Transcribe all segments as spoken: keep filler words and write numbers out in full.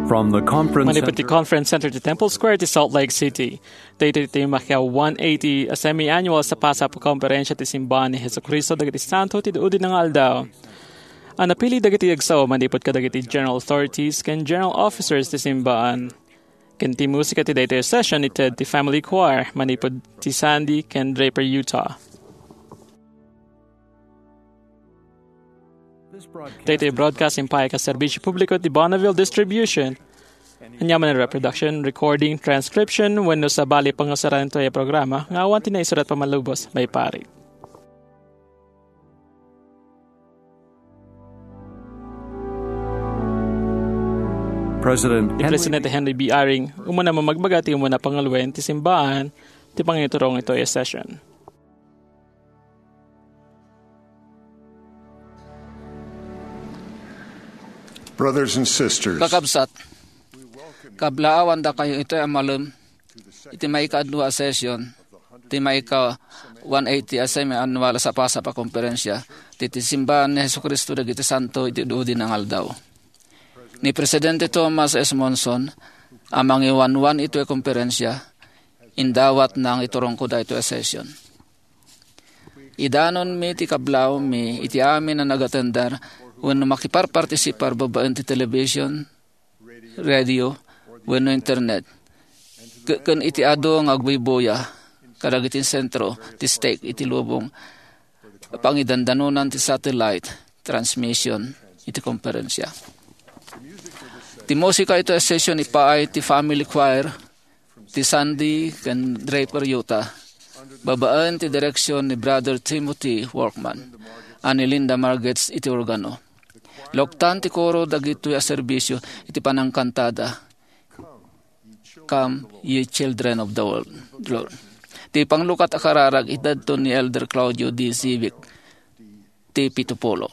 From the conference Manipud ti center. Conference Center ti Temple Square ti Salt Lake City. Daytoy ti makia one eighty a semi-annual sapasap a konferensya ti Simbahan ni Jesucristo dagiti Santo ti Duudina nga Aldaw. A napili dagiti agsao manipud kadagiti general authorities ken general officers ti Simbahan. Ken ti musika ti daytoy a session ited ti Family Choir manipud ti Sandy ken Draper, Utah. Daytoy broadcast impaay ket serbisyo publiko ti Bonneville Distribution. Ania man a reproduction, recording, transcription, wenno sabali pangusaran daytoy a programa nga awan ti naisurat pamanlubos, maiparit. President Ni Henry Presidente Henry B. Eyring, umuna mamagbaga ti umuna panguloen ti simbahan, ti pangiturong itoy a session. Brothers and sisters, Kakabsat, kablaawandakayo itoy a malem iti maikadua a session ti maika one eighty a semi-annual a sapasap a konferensya ti, ti Simbahan ni Jesu-Cristo dagiti Santo iti Duudina nga Aldaw. Ni Presidente Thomas S. Monson a mangiwanwan itoy a konferensya, indawatna nga iturongko daytoy a session. Idanonmi ti kablawmi iti amin a nagatender wenno makiparpartisipar babaen ti television, radio, wenno internet, ke-, ken iti adu nga agbuybuya kadagiti sentro ti stake iti lubong a pangidandanonan ti satellite transmission iti konferensya. Ti musika iti session ipaay ti Family Choir ti Sandy ken Draper, Utah, babaen ti direksion ni Brother Timothy Workman a ni Linda Margetts iti organo. Loktan ti koro dagitoy a serbisyo iti panangkantada, "Come, ye children of the world, Lord." Ti panglukat a kararag itedto ni Elder Claudio D. Zivic ti Pitupulo.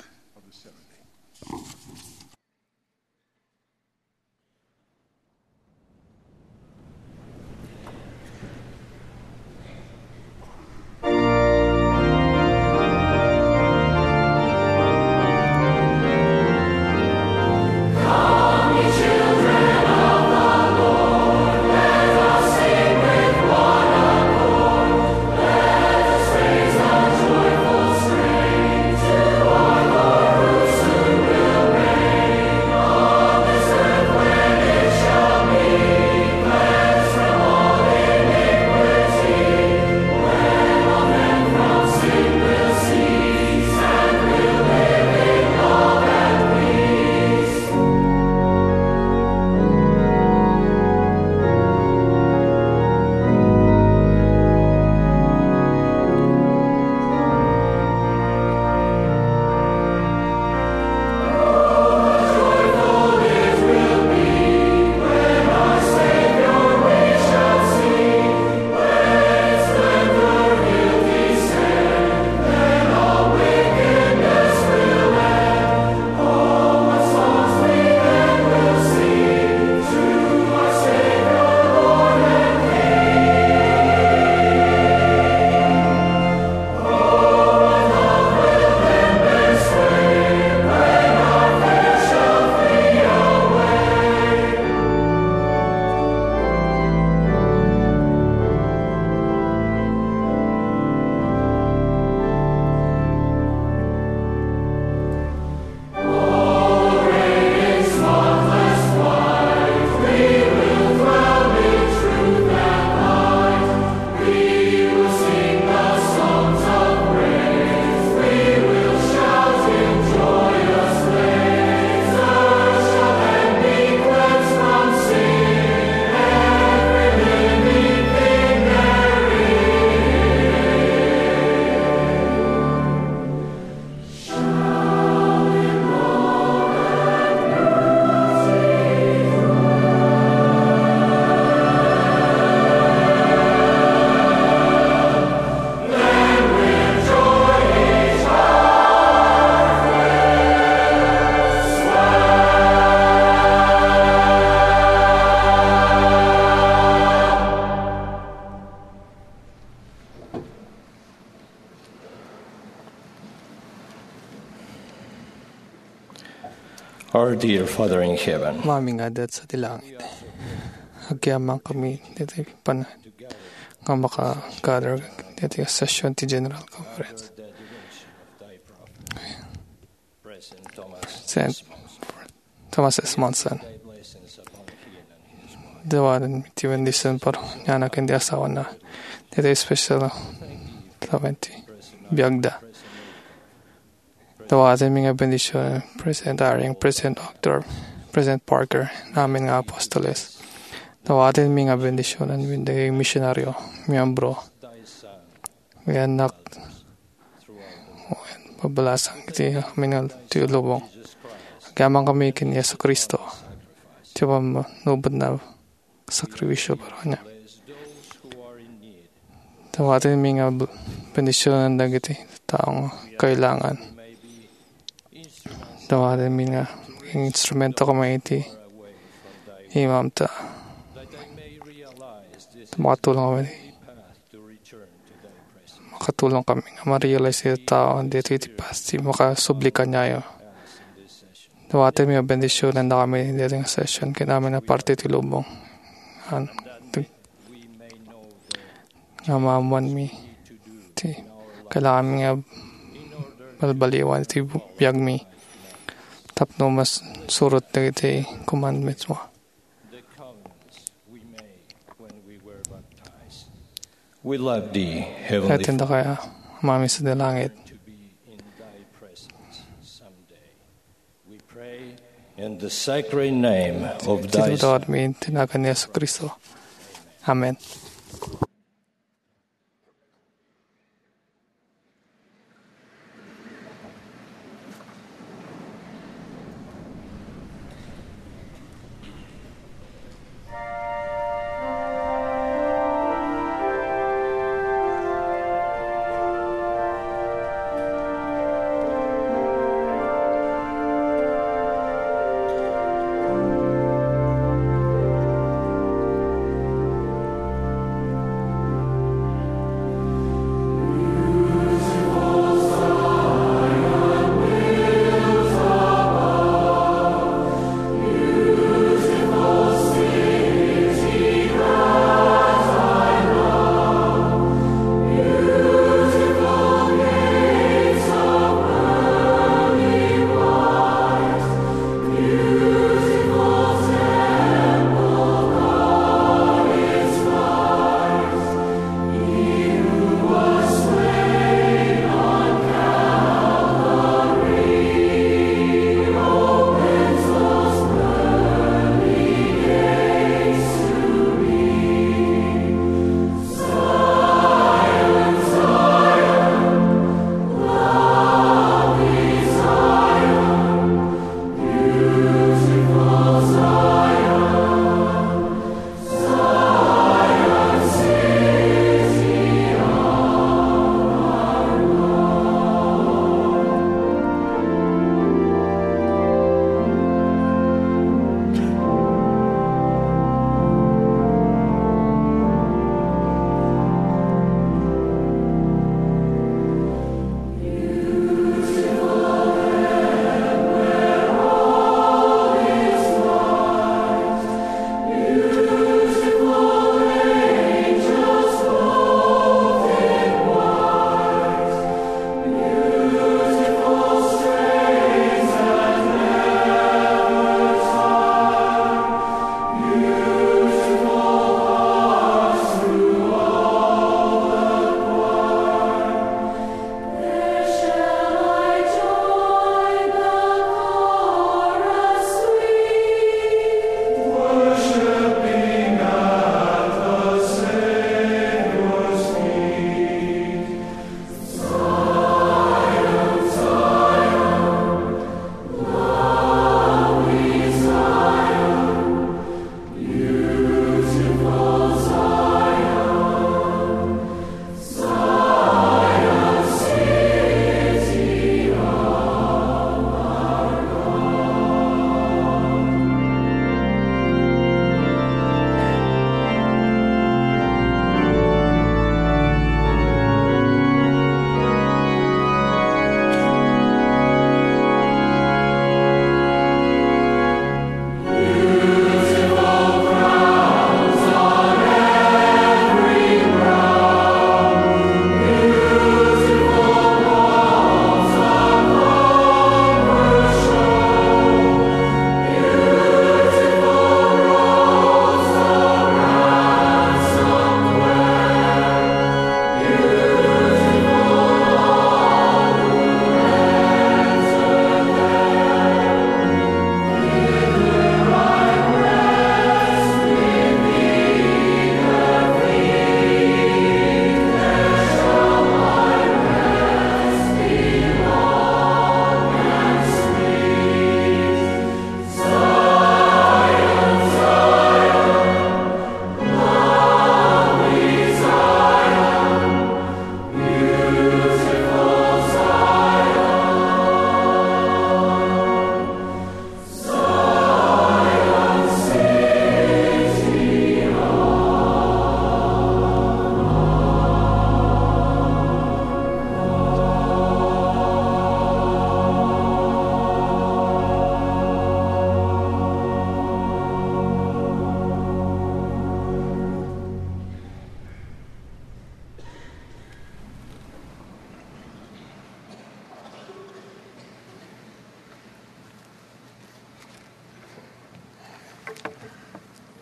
Our dear Father in heaven, Amami nga adda sadi langit, agyamankami ditoy panag nga maka-gather ditoy session ti General Conference. Saint Thomas S. Monson, dawaten ti bendision para kaniana ken ti asawana ditoy special twenty biagda. Dawatenmi nga bendision President Eyring, President Uchtdorf, President Parker, amin nga apostoles. Dawatenmi nga bendisionen dagiti misionario, miyembro, nga annak, wen babalasan iti amin nga ti lubong. Agyamankami ken Jesu-Cristo, ti pammanubotna sakrifisio para kaniana. Dawatenmi nga bl-, bendisionen dagiti tao nga kailangan. Dawatenmi nga maging instrumento kami iti imam ta makatulong kami, makatulong kami nga ma-realize iti tao ditoy ti pasti makasubli kaniayo. Dawatenmi a bendisionen dakami ditoy nga session ken amin a parte ti lubong. An-, nga maammoanmi ti kailanganmi nga balbaliwan iti biagmi tapno masurot dagiti commandments mo. We love thee, Heavenly Father. Kaya Amami sadi langit. We pray in the sacred name of thy Iti dawatmi iti nagan ni Jesu-Cristo. Amen.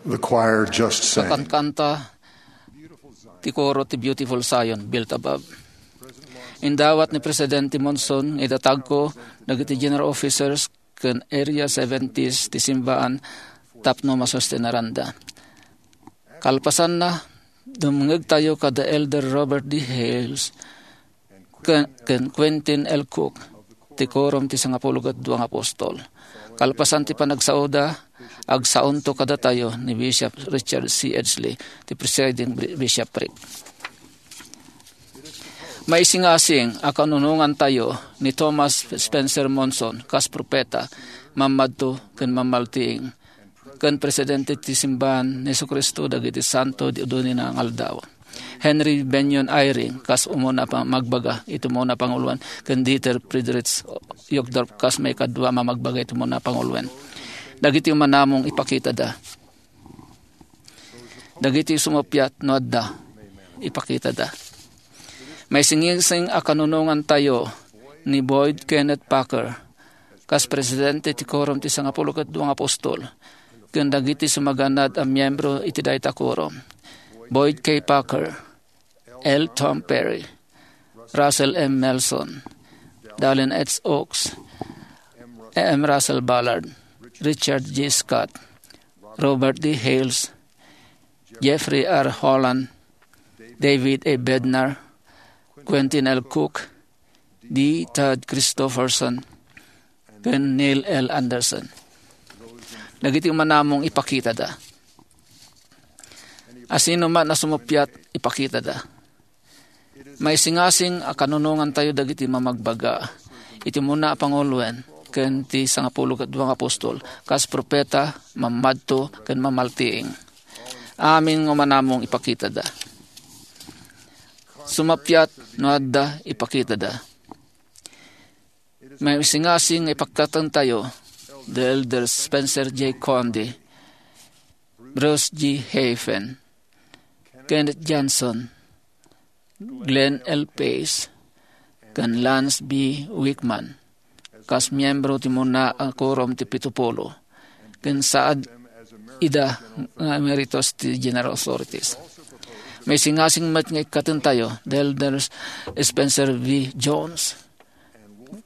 The choir just sang. Kakankanta ti koro ti Beautiful Zion, Built Above. Indawat ni Presidente Monson nga idatagko dagiti general officers ken Area seventies ti simbaan tapno masustenaranda. Kalpasanna, dumngegtayo kada Elder Robert D. Hales ken, ken Quentin L. Cook, ti Quorum ti Sangapulo ket Dua nga Apostol. Kalpasan ti panagsaoda, agsaonto kadatayo ni Bishop Richard C. Edgley, ti presiding bi-, bishopric. Maisingasing a kanunongantayo ni Thomas Spencer Monson kas propeta, mammadto ken mammaltiing, ken presidente ti Simbahan ni Jesu-Cristo dagiti Santo ti Udunina nga Aldaw. Henry Bennion Eyring kas umuna a pamagbaga iti umuna a panguloen, ken Dieter Friedrich Uchtdorf kas maikadua a mamagbaga iti umuna a panguloen. Dagiti umanamong ipakitada. Dagiti sumuppiat no adda, ipakitada. Maisingasing a kanunongantayo ni Boyd Kenneth Packer kas presidente ti Quorum ti Sangapulo ket Dua nga Apostol, ken dagiti sumaganad a miyembro iti dayta quorum: Boyd K. Packer, L. Tom Perry, Russell M. Nelson, Dallin H. Oaks, M. Russell Ballard, Richard G. Scott, Robert D. Hales, Jeffrey R. Holland, David A. Bednar, Quentin L. Cook, D. Todd Christofferson, ken Neil L. Andersen. Dagiti umanamong ipakitada. Asino man a sumuppiat, ipakitada. Maisingasing a kanunongantayo dagiti mamagbaga iti umuna a panguloen ken ti Sangapulo ket Dua nga Apostol kas propeta, mammadto, ken mammaltiing. Amin nga umanamong ipakitada. Sumuppiat no adda, ipakitada. Maisingasing nga ipakatentayo da Elder Spencer J. Condie, Bruce G. Hafen, Kenneth Johnson, Glenn L. Pace, ken Lance B. Wickman kas miyembro ti umuna a quorum ti Pitupulo, ken saad ida nga emeritus ti General Authorities. Maisingasing met nga ikkatentayo da Elders Spencer V. Jones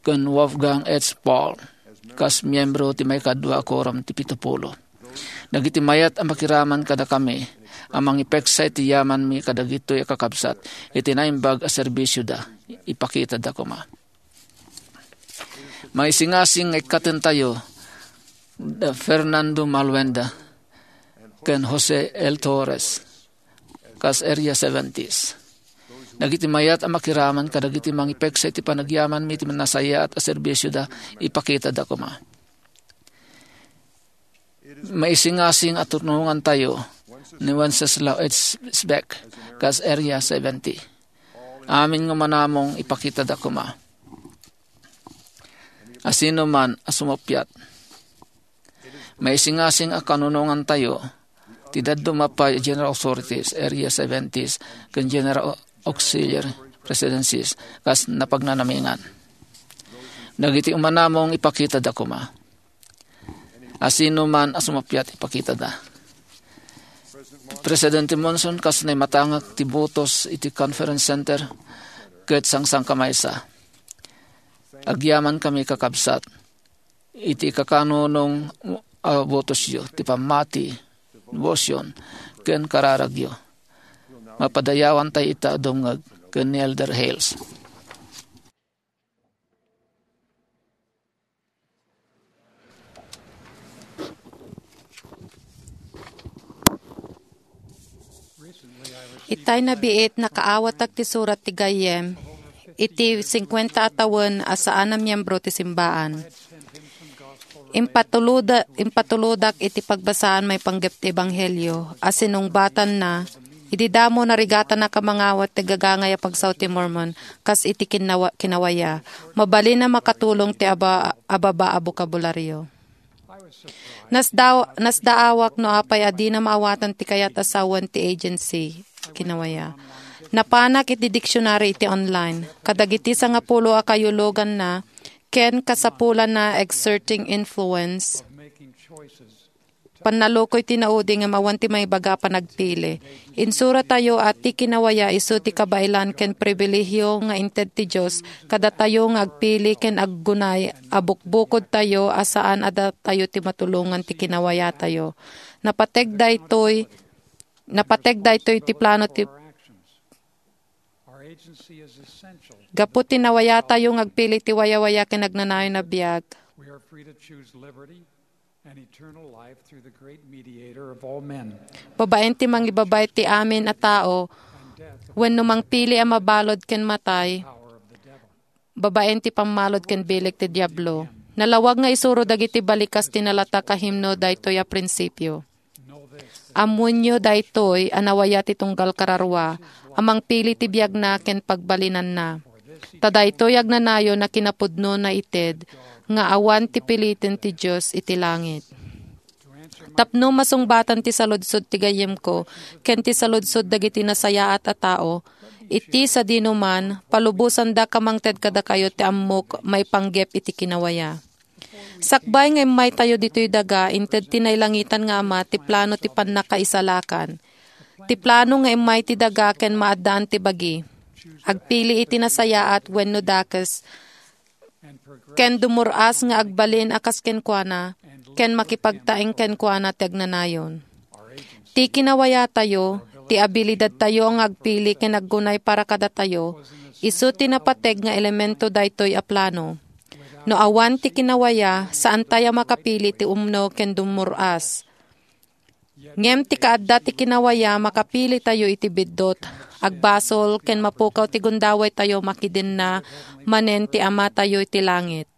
ken Wolfgang H. Paul kas miyembro ti maikadua a quorum ti Pitupulo. Dagiti mayat a makiraman kadakami a mangipeksa iti yamanmi kadagitoy a kakabsat iti naimbag a serbisioda, ipakitada koma. Maisingasing nga ikkatentayo da Fernando Maluenda ken Jose L. Torres kas Area seventies. Dagiti mayat a makiraman kadagiti mangipeksa iti panagyamanmi iti nasayaat a serbisioda, ipakitada koma. Maisingasing a tunongantayo ni Wenceslao H. Speck kas Area seventy. Amin nga umanamong ipakitada koma. Asino man a sumuppiat. Maisingasing a kanunongantayo ti dadduma pay a General Authorities, Area seventies, ken General Auxiliary Presidencies kas napagnanamingan. Dagiti umanamong ipakitada koma. Asino man a sumuppiat, ipakitada. Presidente Monson kas naimatangak ti botos iti Conference Center ket sangsangkamaysa. Agyamankami, kakabsat, iti kakanunong a botosyo, ti pammati, devotion, ken kararagyo. Mapadayawantay ita a dumngeg ken ni Elder Hales. Itay nabiit, nakaawatak ti surat ti gayyem iti singkuenta a tawen a saan a miyembro ti simbaan. Impatuloda-, impatulodak iti pagbasaan maipanggep ti Ebanghelio a sinungbatanna. Idi damo, narigatanak a mangawat ti gagangay a pagsao ti Mormon kas iti kinnawa-, kinawaya. Mabalin a makatulong ti aba-, ababa a bokabulario. Nasda-, nasdaawak no apay a dina maawatan ti kayat a sawen ti agency, kinawaya. Napanak iti diksionaryo iti online. Kadagiti sangapulo a kayuloganna ken kasapulanna, Exerting Influence, Pannalukoy ti naudi ngem awan ti maibaga a panagpili. Insuratayo a ti kinawaya isu ti kabaelan ken pribilehio nga inted ti Dios kadatayo nga agpili ken aggunay a bukbukodtayo a saan a datayo ti matulongan ti kinawayatayo. Napateg daytoy, napateg daytoy ti plano ti Gapu ti nawayatayo nga agpili ti wayawaya ken agnanayon a biag. We are free to choose liberty and eternal life through the great mediator of all men. Babaen ti mangibabay ti amin a tao, wenno mangpili a mabalud ken matay, babaen ti pammalud ken bileg ti Diablo. Nalawag nga isuro dagiti balikas ti nalatak a himno daytoy a prinsipio. Ammoenyo daytoy a nawaya ti tunggal kararua a mangpili ti biagna ken pagbalinanna. Ta daytoy agnanayon a kinapudno naited nga awan ti piliten ti Dios iti langit. Tapno masungbatan ti saludsod ti gayyemko ken ti saludsod dagiti nasayaat a tao, iti sadinoman, palubosandak a mangted kadakayo ti ammok maipanggep iti kinawaya. Sakbay nga immaytayo ditoy daga, inted ti nailangitan nga Ama ti plano ti pannakaisalakan. Ti plano nga immay ti daga ken maaddaan ti bagi. Agpili iti nasayaat wenno dakes, ken dumur-as nga agbalin a kas kenkuana, ken makipagtaeng kenkuana ti agnanayon. Ti kinawayatayo, ti abilidadtayo nga agpili ken aggunay para kadatayo, isu ti napateg nga elemento daytoy a plano. No awan ti kinawaya, saantay a makapili ti umno ken dumur-as. Ngem ti kaadda ti kinawaya, makapilitayo iti biddut, agbasol, ken mapukaw ti gundawaytayo makidenna manen ti Amatayo iti langit.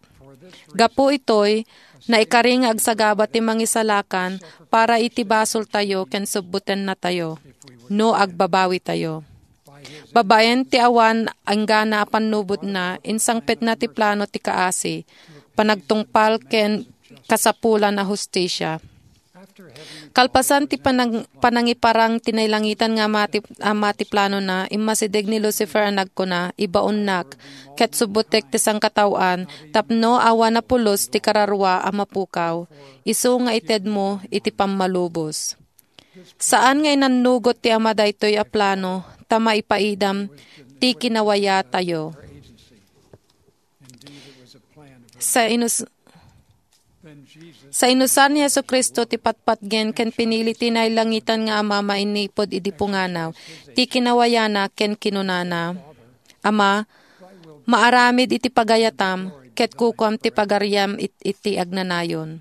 Gapu itoy, naikari nga agsagaba ti Mangisalakan para iti basoltayo ken subbutennatayo, no agbabawitayo. Babaen ti awan inggana a pannubotna, insangpetna ti plano ti kaasi, panagtungpal ken kasapulan a hustisia. Kalpasan ti panang-, panangiparang ti nailangitan nga Ama ti, Ama ti planona, immasideg ni Lucifer a nagkuna, "Ibaonnak, ket subbutek ti sangkataoan, tapno awan a pulos ti kararua a mapukaw, isu nga itedmo iti pammalubos." Saan nga inannugot ti Ama daytoy a plano ta maipaidam ti kinawayatayo. Sa inus-, sa inusan ni Jesu-Cristo ti patpatgen ken pinili ti nailangitan nga Ama mainipud idi punganaw ti kinawayana ken kinunana, "Ama, maaramid iti pagayatam, ket kukuam ti pagariam it-, iti agnanayon."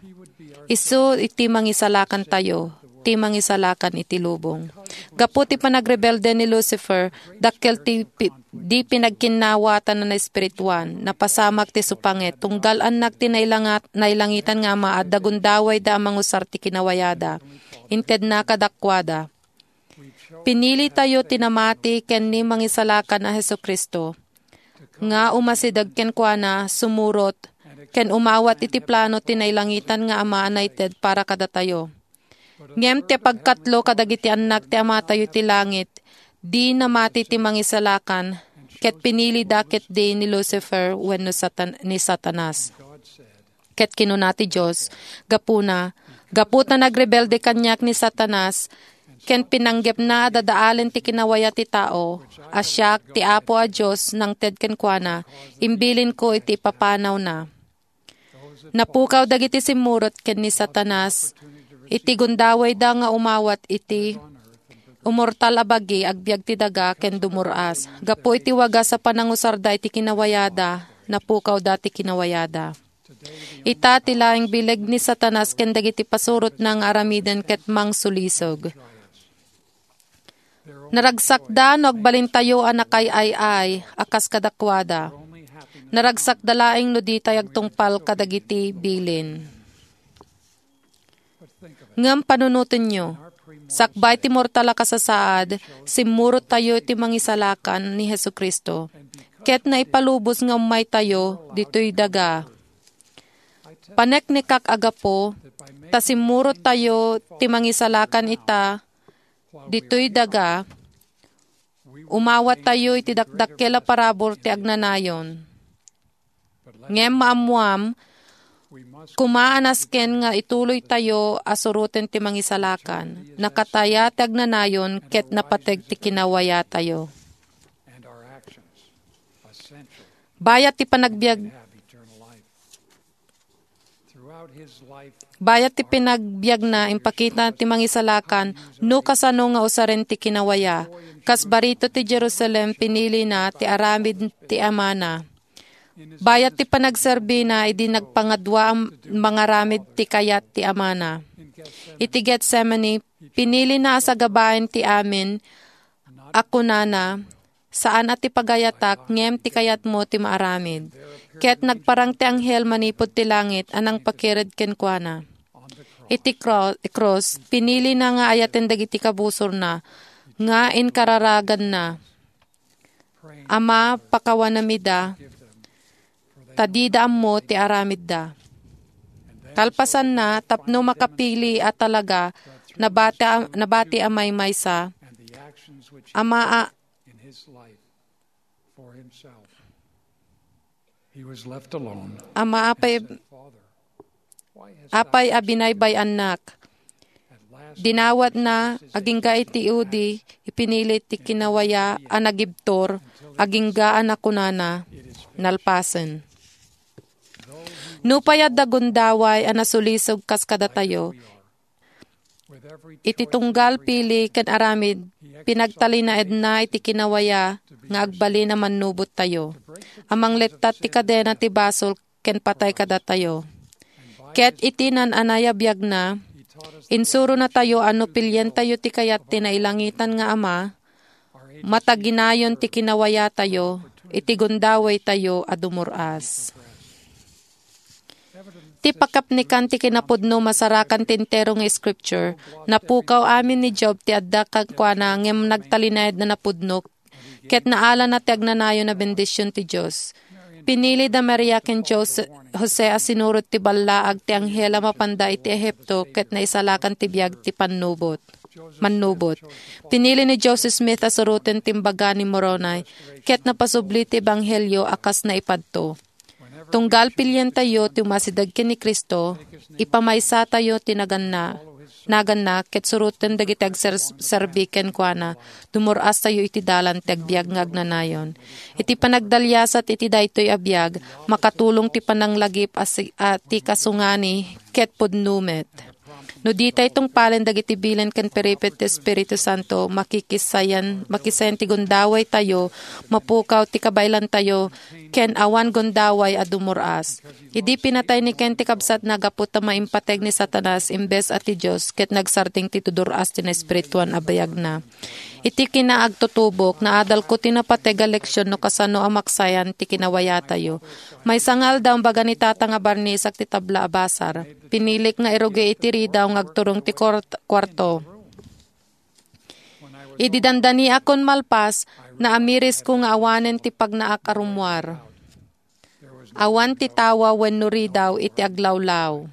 Isu iti Mangisalakantayo, ti Mangisalakan iti lubong. Gapu ti panagrebelde ni Lucifer, dakkel ti pi-, di pinagkinnawatan a naespirituan, napasamak ti supanget, tunggal annak ti nailangat-, nailangitan nga Ama, adda gundawayda a mangusar ti kinawayada. Intedna kadakuada. Pinilitayo ti namati ken ni Mangisalakan a Jesu-Cristo, nga umasideg kenkuana, sumurot, ken umawat iti plano ti nailangitan nga Ama a naited para kadatayo. Ngem ti pagkatlo kadagiti annak ti Amatayo ti langit, di namati ti Mangisalakan, ket pinilida ketdi ni Lucifer wenno Satan-, ni Satanas. Ket kinuna ti Dios, gapuna, gapu ta nagrebelde kaniak ni Satanas, ken pinanggepna a dadaalen ti kinawaya ti tao, a siak, ti Apo a Dios, nangted kenkuana, imbilinko iti ipapanawna. Napukaw dagiti simmurot ken ni Satanas iti gundawayda nga umawat iti umortal a bagi agbiag ti daga ken dumur-as. Gapu iti wagas a panangusarda iti kinawayada, napukawda ti kinawayada. Ita ti laeng bileg ni Satanas ken dagiti pasurotna nga aramiden ket mangsulisog. Naragsakda no agbalintayo a nakaay-ay-ay a kas kadakuada. Naragsakda laeng no ditay agtungpal kadagiti bilin. Ngem panunotenyo, sakbay ti mortal a kasasaad, simmurottayo iti Mangisalakan ni Jesu-Cristo, ket naipalubos nga ummaytayo ditoy daga. Paneknekak a gapu ta simmurottayo ti Mangisalakan ita ditoy daga, umawattayo iti dakdakkel a parabur ti agnanayon. Ngem maammoam, Koma a nasken nga ituloytayo a suroten ti Mangisalakan. Nakataya ti agnanayon ket napateg ti kinawayatayo. Bayat ti panagbiag, bayat ti pinagbiagna, impakita ti Mangisalakan no kasano nga usaren ti kinawaya. Kas barito ti Jerusalem, pinilina ti aramid ti Amana. Bayat ti panagserbina idi nagpangadua a mangaramid ti kayat ti Amana. Iti Getsemani, pinilina a sagabaen ti amin a kunana, "Saan a ti pagayatak, ngem ti kayatmo ti maaramid." Ket nagparang ti anghel manipud ti langit a nangpakired kenkuana. Iti kro-, krus, pinilina nga ayaten dagiti kabusorna nga inkararaganna, "Ama, pakawanam ida, ta dida ammo ti aramidda." Kalpasanna, tapno makapili a talaga, nabati a, nabati a maymaysa, ama a, ama apay, apay a binaybay-annak. Dinawatna, agingga iti udi, ipinili ti kinawaya a nagibtur, agingga a nakunana, nalpasen. Nupay adda gundaway a nasulisog kas kadatayo, iti tunggal pili ken aramid, pinagtalinaedna iti kinawaya nga agbalin a mannubottayo, a manglettat ti kadena ti basol ken patay kadatayo. Ket iti naan-anay a biagna, insuronatayo a no pilientayo ti kayat ti nailangitan nga Ama, mataginayon ti kinawayatayo iti gundawaytayo a dumur-as. Ti pakapnekan ti kinapudno masarakan ti entero nga Scripture. Napukaw amin ni Job ti adda kenkuana ngem nagtalinaedna napudno ket naalana ti agnanayon a bendision ti Dios. Pinili da Maria ken Jose, Jose a sinurot ti ballaag ti anghel a mapanda iti Ehipto ket naisalakan ti biag ti pannubot, mannubot. Pinili ni Joseph Smith a suroten ti Imbaga ni Moroni ket napasubli ti ebanghelio a kas naipadto. Tunggal pilientayo ti umasideg ken ni Cristo, ipamaysatayo ti naganna, naganna, ket suroten dagiti agserserbi kenkuana, dumur-astayo iti dalan ti agbiag nga agnanayon. Iti panagdaliasat iti daytoy a biag, makatulong ti pananglagip a si-, a ti kasungani ket pudno met. No ditay tungpalen dagiti bilin ken piripit ti Espiritu Santo, makikisayan, makisayan ti gundawaytayo, mapukaw ti kabaelantayo, ken awan gundaway a dumur-as. Idi pinatay ni Cain ti kabsatna gapu ta maimpateg ni Satanas imbes a ti Dios, ket nagsardeng ti tudur-as ti naespirituan a biagna. Iti kinaagtutubok, naadalko ti napateg a leksion no kasano a maksayan ti kinawayatayo. Maysa nga aldaw, imbaga ni Tata nga barnisak ti tabla a basar. Pinilik nga irugi iti ridaw nga agturong ti kuart-, kuarto. Idi dandaniakon malpas, naamirisko nga awanen ti pagnaak a rummuar. Awan ti tawa wenno ridaw iti aglawlaw.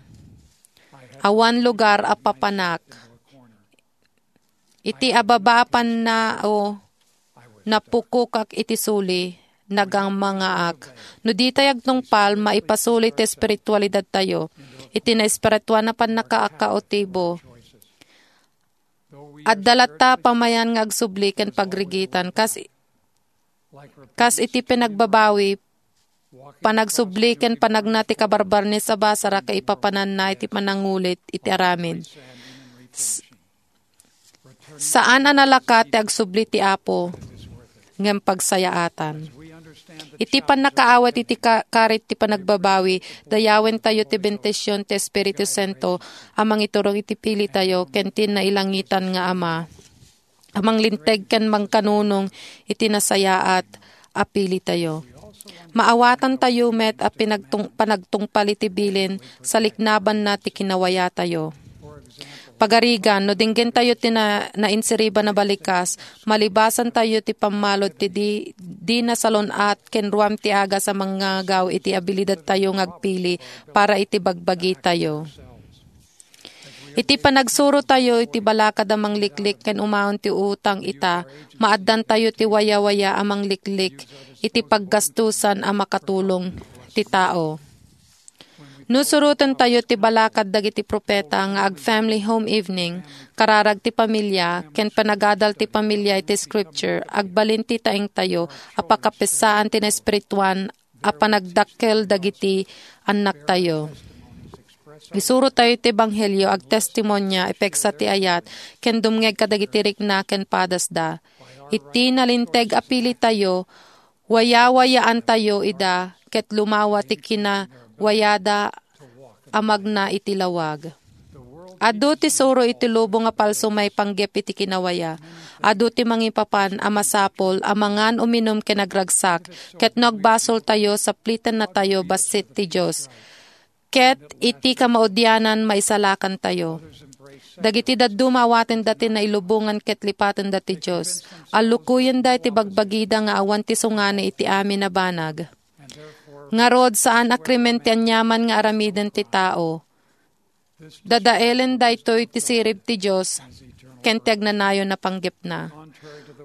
Awan lugar a papanak. Iti ababa a pannao, napukokak iti suli, nagangamangaak. No ditay agtungpal, maipasuli ti espiritualidadtayo iti naespirituan a pannakaakautibo. Adda latta a pamayan nga agsubli ken pagrigitan, kas, kas iti pinagbabawi, panagsubli ken panagna ti kabarbarnis a basar a kaipapananna iti panangulit iti aramid. S-, saan a nalaka ti agsubli ti Apo, ngem pagsayaatan. Iti pannakaawat iti ka-, karit ti panagbabawi, dayawentayo ti bendision ti Espiritu Santo a mangiturong iti pilitayo ken ti nailangitan nga Ama a manglinteg ken mangkanunong iti nasayaat a pilitayo. Maawatantayo met a pinagtung-, panagtungpal iti bilin saliknabanna ti kinawayatayo. Pagarigan, no dinggentayo ti na-, nainsiriban a balikas, malibasantayo ti pammalud ti di, di nasalun-at ken ruam ti agas a mangngagaw iti abilidadtayo nga agpili para iti bagbagitayo. Iti panagsurotayo iti balakad a mangliklik ken umaon ti utang ita, maaddantayo ti wayawaya a mangliklik iti paggastusan a makatulong ti tao. No surotentayo ti balakad dagiti profeta nga ag-family home evening, kararag ti pamilia, ken panagadal ti pamilia iti Scripture, agbalin ti taengtayo a pakapessaan ti naespirituan a panagdakkel dagiti annaktayo. Isurotayo ti ebanghelio, agtestimonia, ipeksa ti ayat, ken dumngeg kadagiti rikna ken padasda. Iti nalinteg a pilitayo, wayawayaantayo ida ket lumawa ti kinawayada a magna iti lawag. Adu ti suro iti lubong a palso maipanggep iti kinawaya. Adu ti mangipapan a masapul a mangan, uminum ken agragsak, ket no agbasoltayo, saplitennatayo bassit ti Dios. Ket iti kamaudianan, maisalakantayo. Dagiti dadduma, awatenda ti nailubongan ket lipatenda ti Dios. Allukuyenda iti bagbagida nga awan ti sungani iti amin a banag. Ngarud, saan a krimen ti aniaman nga aramiden ti tao. Dadaelen daytoy ti sirib ti Dios ken ti agnanayon a panggepna.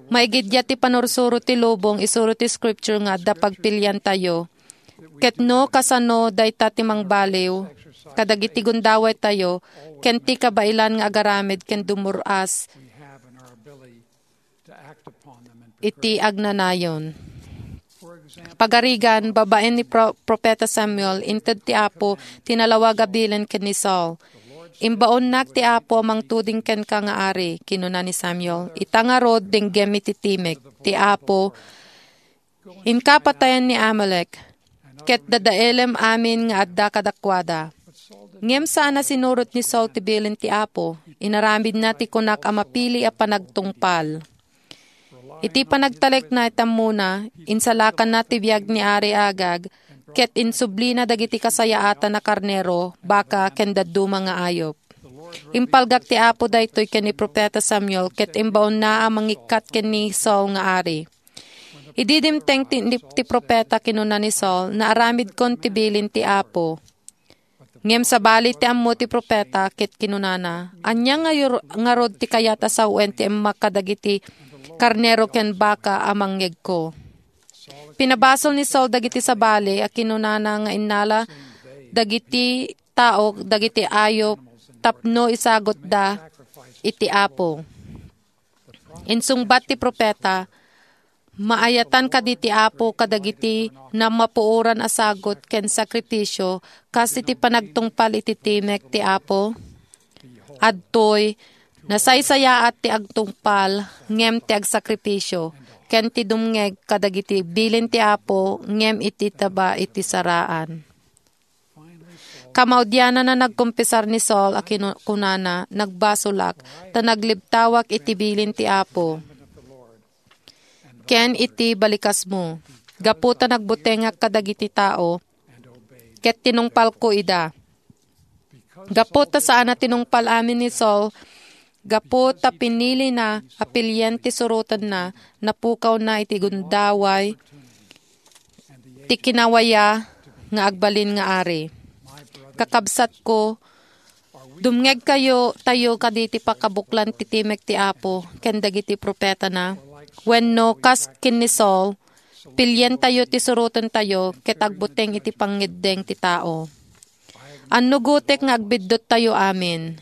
Maigiddiat ti panursuro ti lubong, isuro ti Scripture nga adda pagpiliantayo. Ket no kasano dayta ti mangbaliw kadagiti gundawaytayo ken ti kabaelan nga agaramid ken dumur-as iti agnanayon. Pagarigan, babaen ni Pro-, Profeta Samuel, inted ti Apo ti nalawag a bilin ken ni Saul. "Imbaonnak ti Apo a mangtuding kenka nga ari," kinuna ni Samuel. "Ita ngarud, denggem iti timek ti Apo, inka patayen ni Amalek, ket dadaelem amin nga adda kadakuada." Ngem saan a sinurot ni Saul ti bilin ti Apo. Inaramidna ti kunak a mapili a panagtungpal. Iti panagtalekna iti ammona, insalakanna ti biag ni Ari Agag, ket insublina dagiti kasayaatan a karnero, baka, ken dadduma nga ayup. Impalgak ti Apo daytoy ken ni Profeta Samuel, ket imbaonna a mangikkat ken ni Saul nga ari. Idi dimteng ti, ti profeta, kinuna ni Saul, "Naaramidkon ti bilin ti Apo." Ngem sabali ti ammo ti profeta, ket kinunana, "Ania nga yur-, ngarud ti kayat a sawen ti emmak kadagiti karnero ken baka a mangngegko?" Pinabasol ni Saul dagiti sabali a kinunana nga innala dagiti tao dagiti ayup tapno isagutda iti Apo. Insungbat ti profeta, "Maayatan kadi ti Apo kadagiti namapuoran a sagut ken sakripisio kas iti panagtungpal iti timek ti Apo? Adtoy, nasaysayaat ti agtungpal ngem ti agsakripisio, ken ti dumngeg kadagiti bilin ti Apo ngem iti taba iti saraan." Kamaudiananna, nagkumpisar ni Saul a kinu-, kunana, "Nagbasolak, ta naglibtawak iti bilin ti Apo ken iti balikasmo. Gapu ta nagbutengak kadagiti tao, ket tinungpalko ida." Gapu ta saan a tinungpal amin ni Saul, gapu ta pinilina a pilien ti surotenna, napukawna iti gundaway ti kinawaya nga agbalin nga ari. Kakabsatko, dumngegkayo tayo kadi ti pakabuklan ti timek ti Apo ken dagiti profetana? Wenno, kas ken ni Saul, pilientayo ti surotentayo ket agbuteng iti pangngeddeng ti tao? Annugotek nga agbiddottayo amin.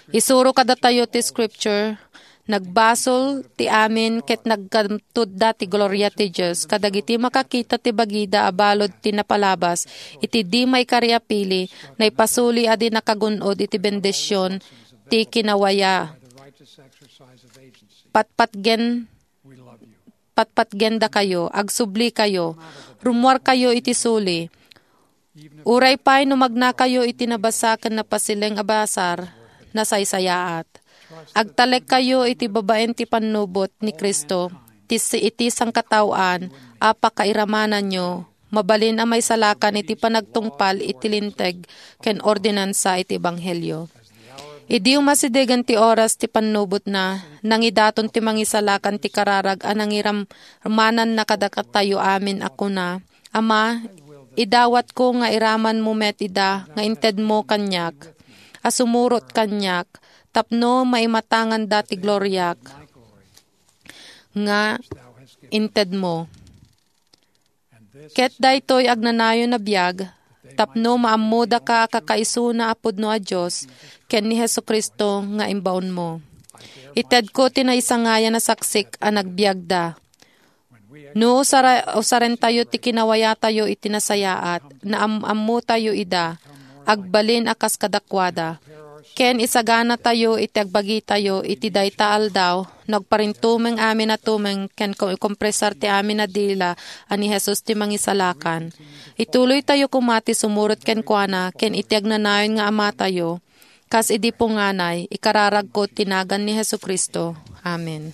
Isuro kadatayo ti Scripture, "Nagbasol ti amin ket nagkantudda ti gloria ti Dios kadagiti makakita ti bagida a balud ti napalabas iti di maikari a pili, naipasuli a di nakagun-od iti bendision ti kinawaya." Patpatgen, patpatgendakayo, agsublikayo, rummuarkayo iti suli. Uray pay no magnakayo iti nabasa ken napasileng a basar, nasaysayaat. Agtalekkayo iti babaen ti pannubot ni Cristo, ti si-, iti sangkataoan a pakairamananyo, mabalin a maisalakan iti panagtungpal iti linteg ken ordinansa iti ebanghelio. Idi umasidegen ti oras ti pannubotna, nangidaton ti mangisalakan ti kararag a nangiram-, mananna kadatayo amin a kuna, "Ama, idawatko nga iramanmo met ida nga intedmo kaniak, a sumurot kaniak, tapno maimatanganda ti gloriak nga intedmo. Ket daytoy agnanayon a biag, tapno maammodaka a kakaisuna a pudno a Dios ken ni Jesu-Cristo nga imbaonmo. Itedko ti naisangayan a saksik a nagbiagda. No usara-, usarentayo ti kinawayatayo iti nasayaat, naam-ammotayo ida, agbalin a kas kadakuada, ken isaganatayo iti agbagitayo iti dayta aldaw, no agparintumeng amin a tumeng ken ko-, kompresar ti amin a dila a ni Jesus ti Mangisalakan. Ituloytayo koma ti sumurot kenkuana ken iti agnanayon nga Amatayo, kas idi punganay, ikararagko ti nagan ni Jesu-Cristo. Amen.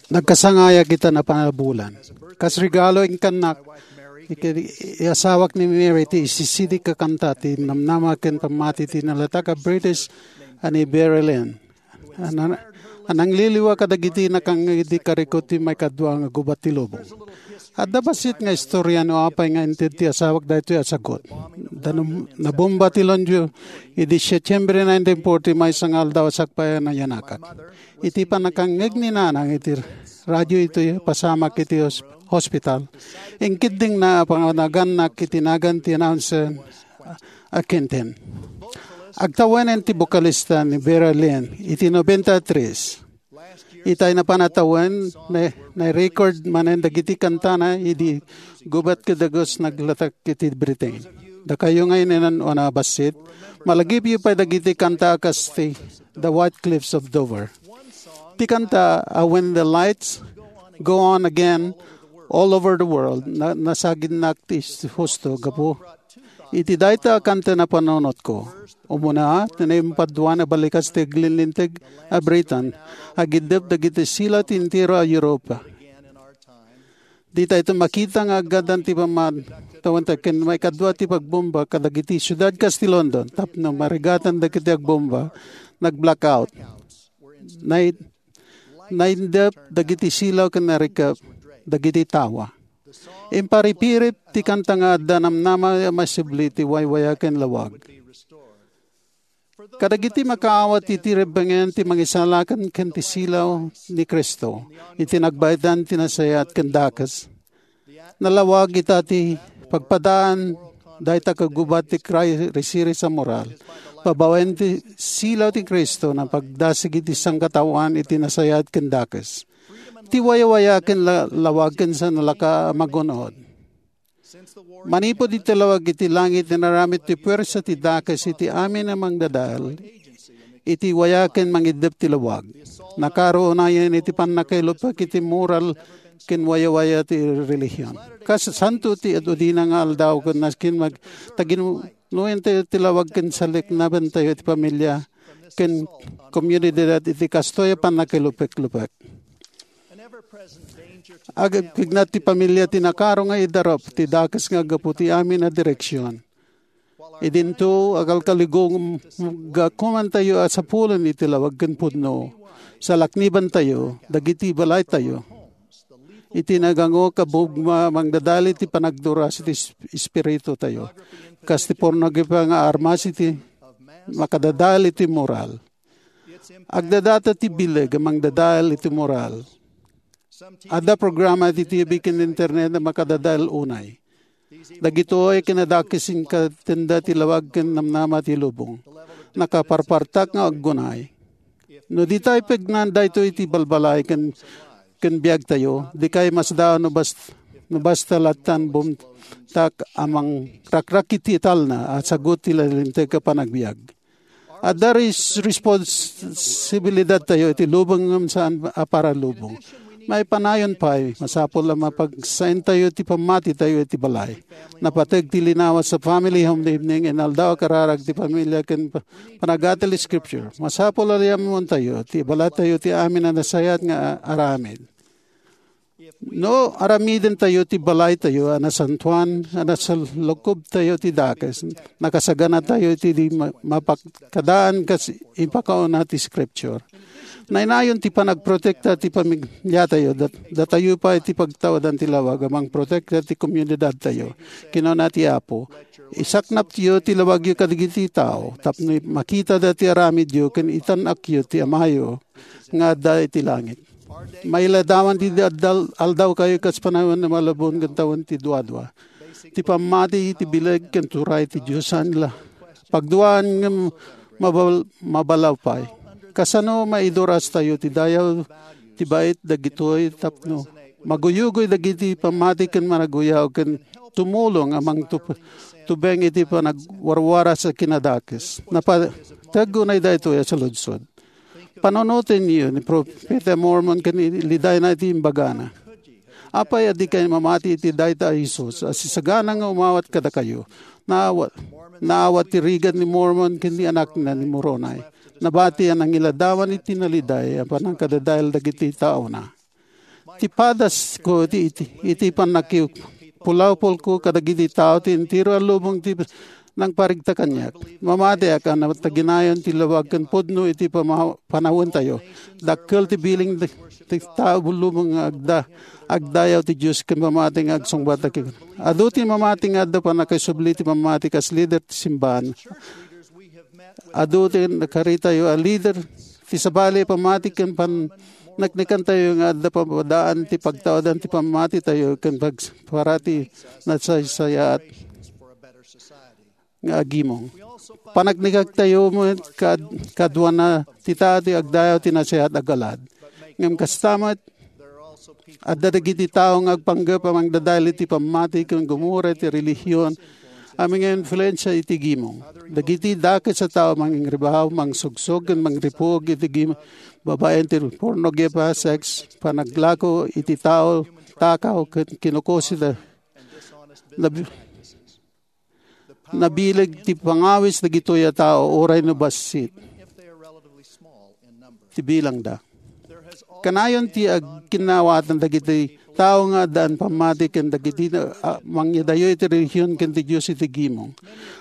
Nagkasangayak ita napanabulan. Kas regalo, inkannak, iki-, iasawak ni Mary ti isisidik a kanta ti namnama ken pammati ti nalatak a British a ni Vera Lynn. A na-, a nangliliwa kadagiti nakangngeg idi karikot ti maikadua nga gubat ti lubong. Adda bassit nga istoria no apay nga inted ti asawak daytoy a sagut. Da num-, nabomba ti Longju idi Setyembre nineteen forty, maysa nga aldaw a sakbay a nayanakak. Iti pannakangngeg ni Nanang iti radio iti pasamak iti hos-, hospital, inkiddingna a panganagannak iti nagan ti announcer a Quentin. Agtawenen ti bokalista ni Vera Lynn iti nobenta tres. Itay napan a tawen, na-, na-record manen dagiti kantana idi gubat ket dagus naglatak iti Britain. Dakayo nga inan-anuan a bassit, malagipyo pay dagiti kanta a kas ti The White Cliffs of Dover. Ti kanta a When the Lights Go On Again All Over the World, na-, nasagidnak ti husto gapu iti dayta a kanta napanunotko. Umuna, ti naimpadua a balikas ti aglilinteg a Britain, agiddep dagiti silaw ti entero a Europa. Ditayto makita nga aggadan ti pammatawenta ken maikadua ti pagbomba kadagiti siudad kas ti London tapno marigatan dagiti agbomba, nag-blackout. Nay-, naiddep dagiti silaw ken narikep dagiti tawa. Imparipirip ti kanta nga adda namnama a masibli ti waywaya ken lawag. Kadagiti makaawat iti rebbengen ti Mangisalakan ken ti silaw ni Cristo iti nagbaetan ti nasayaat ken dakes. Nalawag ita ti pagpadaan dayta kagubat ti kray-, risiris a moral. Babaen ti silaw ti Cristo napagdasig iti sangkataoan iti nasayaat ken dakes. Ti waywaya ken la-, lawag ken sa nalaka a magun-od. Manipud iti lawag iti langit, inaramid ti puersa ti dakes iti amin a mangdadael iti waya ken mangiddep ti lawag. Nakaro unayen iti pannakailupek iti moral ken wayawaya ti relihion. Kas santo ti ad-udina nga aldaw ken nasken mag-, taginuyen ti, ti lawag ken saliknabantayo iti pamilia ken komunidad iti kastoy a pannakailupek-lupek. Agpigna ti pamilia ti nakaro nga idarup ti dakes nga aggapu ti amin a direksion. Idinto, agalkaligong gakumantayo a sapulen iti lawag ken pudno. Salaknibantayo dagiti balaytayo. Iti nagango, kabugma, mangdadael iti panagduras iti es-, espiritutayo. Kas ti pornografiya nga armas iti makadadael iti moral. Agdadata ti bileg a mangdadael iti moral. Adda programa iti T V ken internet a makadadael unay. Dagitoy kinadakes inkatenda ti lawag ken namnama ti lubong. Nakaparpartak nga aggunay. No ditay pegnan daytoy iti balbalay ken, ken biagtayo, dikay masdaaw no bas-, no basta lattan bumtak a mangrakrak iti talna a sagut ti nalinteg a panagbiag. Adda res-, responsibilidadtayo iti lubong ngem saan a paralubong. Maipanayon pay, masapul a mapagsaentayo ti pammatitayo iti balay. Napateg ti linawa sa family home evening, inaldaw a kararag ti pamilya ken pa-, panagatang ti Scripture. Masapul a liammontayo ti balatayo ti amin a nasayaat nga a-, aramid. No aramidentayo ti balaytayo a nasantoan, a nasalukobtayo ti dakes, nakasaganatayo iti di ma-, mapagkadaan kas impakauna ti Scripture. Nainayon ti panagprotekta ti pamiliatayo, dat-, datayo pay ti pagtawadan ti lawag a mangprotekta ti komunidadtayo. Kinuna ti Apo, "Isaknapyo ti lawagyo kadagiti tao, tapno makitada ti aramidyo ken itan-akyo ti Amayo nga adda iti langit." Mailadawan ti addal-, aldawkayo kas panawen a malabon ken tawen ti duadua. Ti pammati iti bileg ken turay ti Dios a nila-, pagduaan ngem mabal-, mabalaw pay. Kasano maidurastayo ti dayaw ti bait dagitoy tapno maguyugoy dagiti pammati ken managuyaw ken tumulong a mangtup-, tubeng iti panagwarwaras a kinadakes. Napateg unay daytoy a saludsod. Panunotenyo ni Propeta Mormon ken ilidayna iti imbagana. Apay a dikay mamati iti dayta a Jesus a sisagana nga umawat kadakayo? Naawa-, naawat ti rigat ni Mormon ken ni anakna ni Moroni. Nabati a nangiladawan iti naliday a pannakadadael dagiti taona. Ti padasko iti, iti, iti pannakipulawpulko kadagiti tao ti entero a lubong ti nangparigta kaniak. Mamatiak a nataginayon ti lawag ken pudno iti pama-, panawentayo. Dakkel ti biling ti, ti tao lubong nga agda, agdayaw ti Dios ken mamati nga agsungbat ken. Adu ti mamati nga adda pannakaisubli ti pammati kas lider ti simbahan. Adu ti nakaritayo a lider ti sabali a pammati ken panneknekantayo nga adda papadaan ti pagtawadan ti pammatitayo ken pagparati nasaysayaat nga agimong. Paneknektayo met kad-, kaduana ti tao ti agdayaw ti nasayaat a galad. Ngem kasta met, adda dagiti tao nga agpanggep a mangdadael iti pammati ken gumura iti relihion a manginfluensia iti gimong. Dagiti dakes a tao mangingribaw, mangsugsog, ken mangripuog iti gimong babaen ti pornografiya, sex, panaglako iti tao, takaw, ken kinukusida. Nab-, nabileg ti pangawis dagitoy a tao, uray no bassit ti bilangda. Kanayon ti agkinnawatan dagiti tao nga addaan pammati ken dagiti, ah, mangyadayo iti relihion ken ti Dios iti gimong.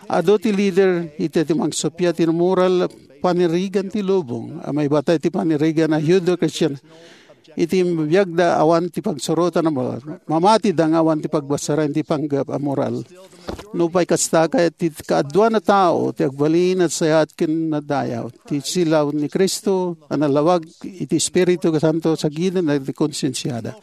Adu ti lider iti, ti mangsuppiat ti moral a panirigan ti lubong a maibatay ti panirigan a Judeo-Kristian. Iti biagda awan ti pagsurotan a moral. Mamatida nga awan ti pagbasaren ti panggep a moral. Nupay kasta, ket ti kaaduan a tao ti agbalin a sayaat ken nadayaw ti silaw ni Cristo a nalawag iti Espiritu Santo sa giden ti konsensiada.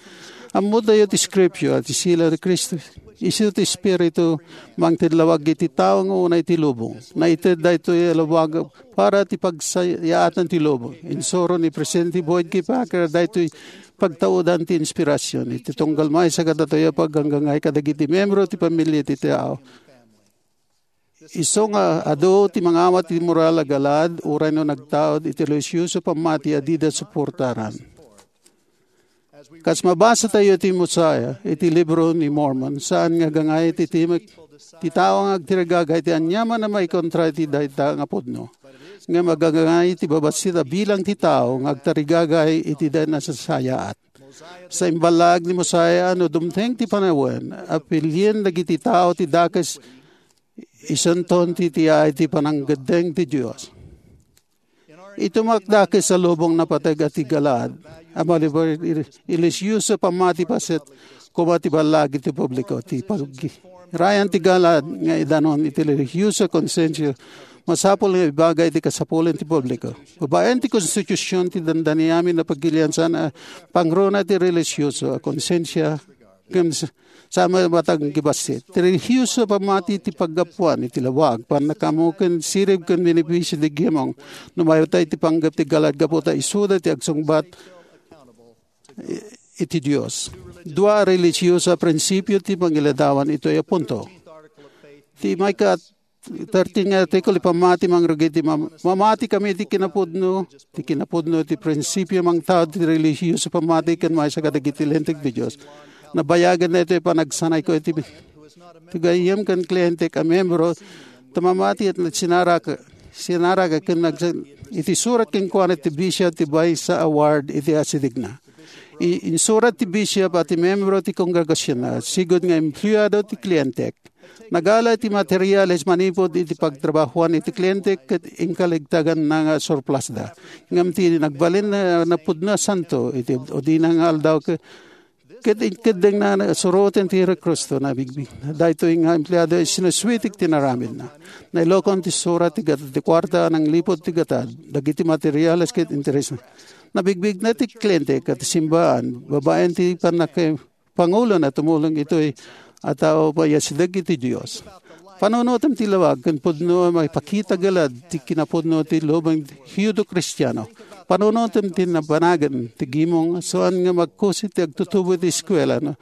Ammotayo ti Scripture a ti silaw ni Cristo isu ti Espiritu mangted lawag iti tao nga unay ti lubong. Naited daytoy a lawag para ti pagsayaatan ti lubong. Insuro ni Presidente Boyd K. Packer daytoy pagtaudan ti inspirasyon iti tunggal maysa kadatoy a pagganggangay kadagiti membro ti pamilia ti tao. Isu nga adu ti mangawat ti moral a galad uray no nagtaud iti relihiyoso pammati a dida suportaran. Kas mabasatayo ti Mosiah iti libro ni Mormon, saan nga agangay ti timek ti tao nga agtirigagay ti aniaman a maikontra iti dayta nga pudno. Ngem agangay ti babassit a bilang ti tao nga agtarigagay iti dayta nasasayaat. Sa imbalag ni Mosiah, no dumteng ti panawen, apilien dagiti tao ti dakes, isunton ti tiay ti pananggeddeng ti Dios. Iti makdakes a lubong napateg a ti Galaad, a maliber iti relihiyoso pammati paset koma ti ballagi ti publiko. Ti pagirayan ti Galaad nga idanon iti relihiyoso a konsensia masapul nga ibaga iti kasapulan ti publiko. Babaen ti konstitusion ti dandani amin a pagilian saan a pangruna ti relihiyoso a konsensia ken sa-, sa matag nga bassit. Ti relihiyoso a pammati ti paggapuan iti lawag, pannakaammo ken sirib ken benepisio ti gimong no mayatay ti panggep ti Galaad gapu ta isuda ti agsungbat i-, iti Dios. Dua a relihiyoso a prinsipio ti mangiladawan itoy a punto. Ti maika-, thirteen nga artikulo, ipammati mangrugi ti mam-, mamati kami iti kinapudno, ti kinapudno ti prinsipio mangtaud ti relihiyoso pammati ken maysa kadagiti linteg ti Dios. Nabayagen daytoy panagsanayko iti, ti gayyem ken klientek a membro, ta mamati et sinarak-, sinarak ken nagsa-, iti surat kenkuana ti bishop ti maysa a ward iti asidegna. I-, insurat ti bishop a ti membro ti kongregasionna, sigud nga empleado ti klientek. Nagala ti materiales manipud iti pagtrabahoan iti kliente ket inkaligtaganna nga surplusda. Ngem ti nagbalin a napudno a santo iti udina nga aldaw ke-, ket inkeddengna suroten ti Kristo nabigbig. Daytoy nga empleado, sinusuitik ti naramidna. Nailokon ti surat ti gat-, ti kuarta a nanglipud ti gatad, dagiti materiales ket interesna. Nabigbigna ti kliente ket simbaan, babaen ti pannak-, pangulo na tumulong itoy a tao payasideg iti Dios. Panunotem ti lawag ken pudno a maipakita galad ti kinapudno ti lubong Judio-Kristiano. Panunotem ti nabanagen ti gimong saan nga magkusi ti agtutubo iti eskuela, no?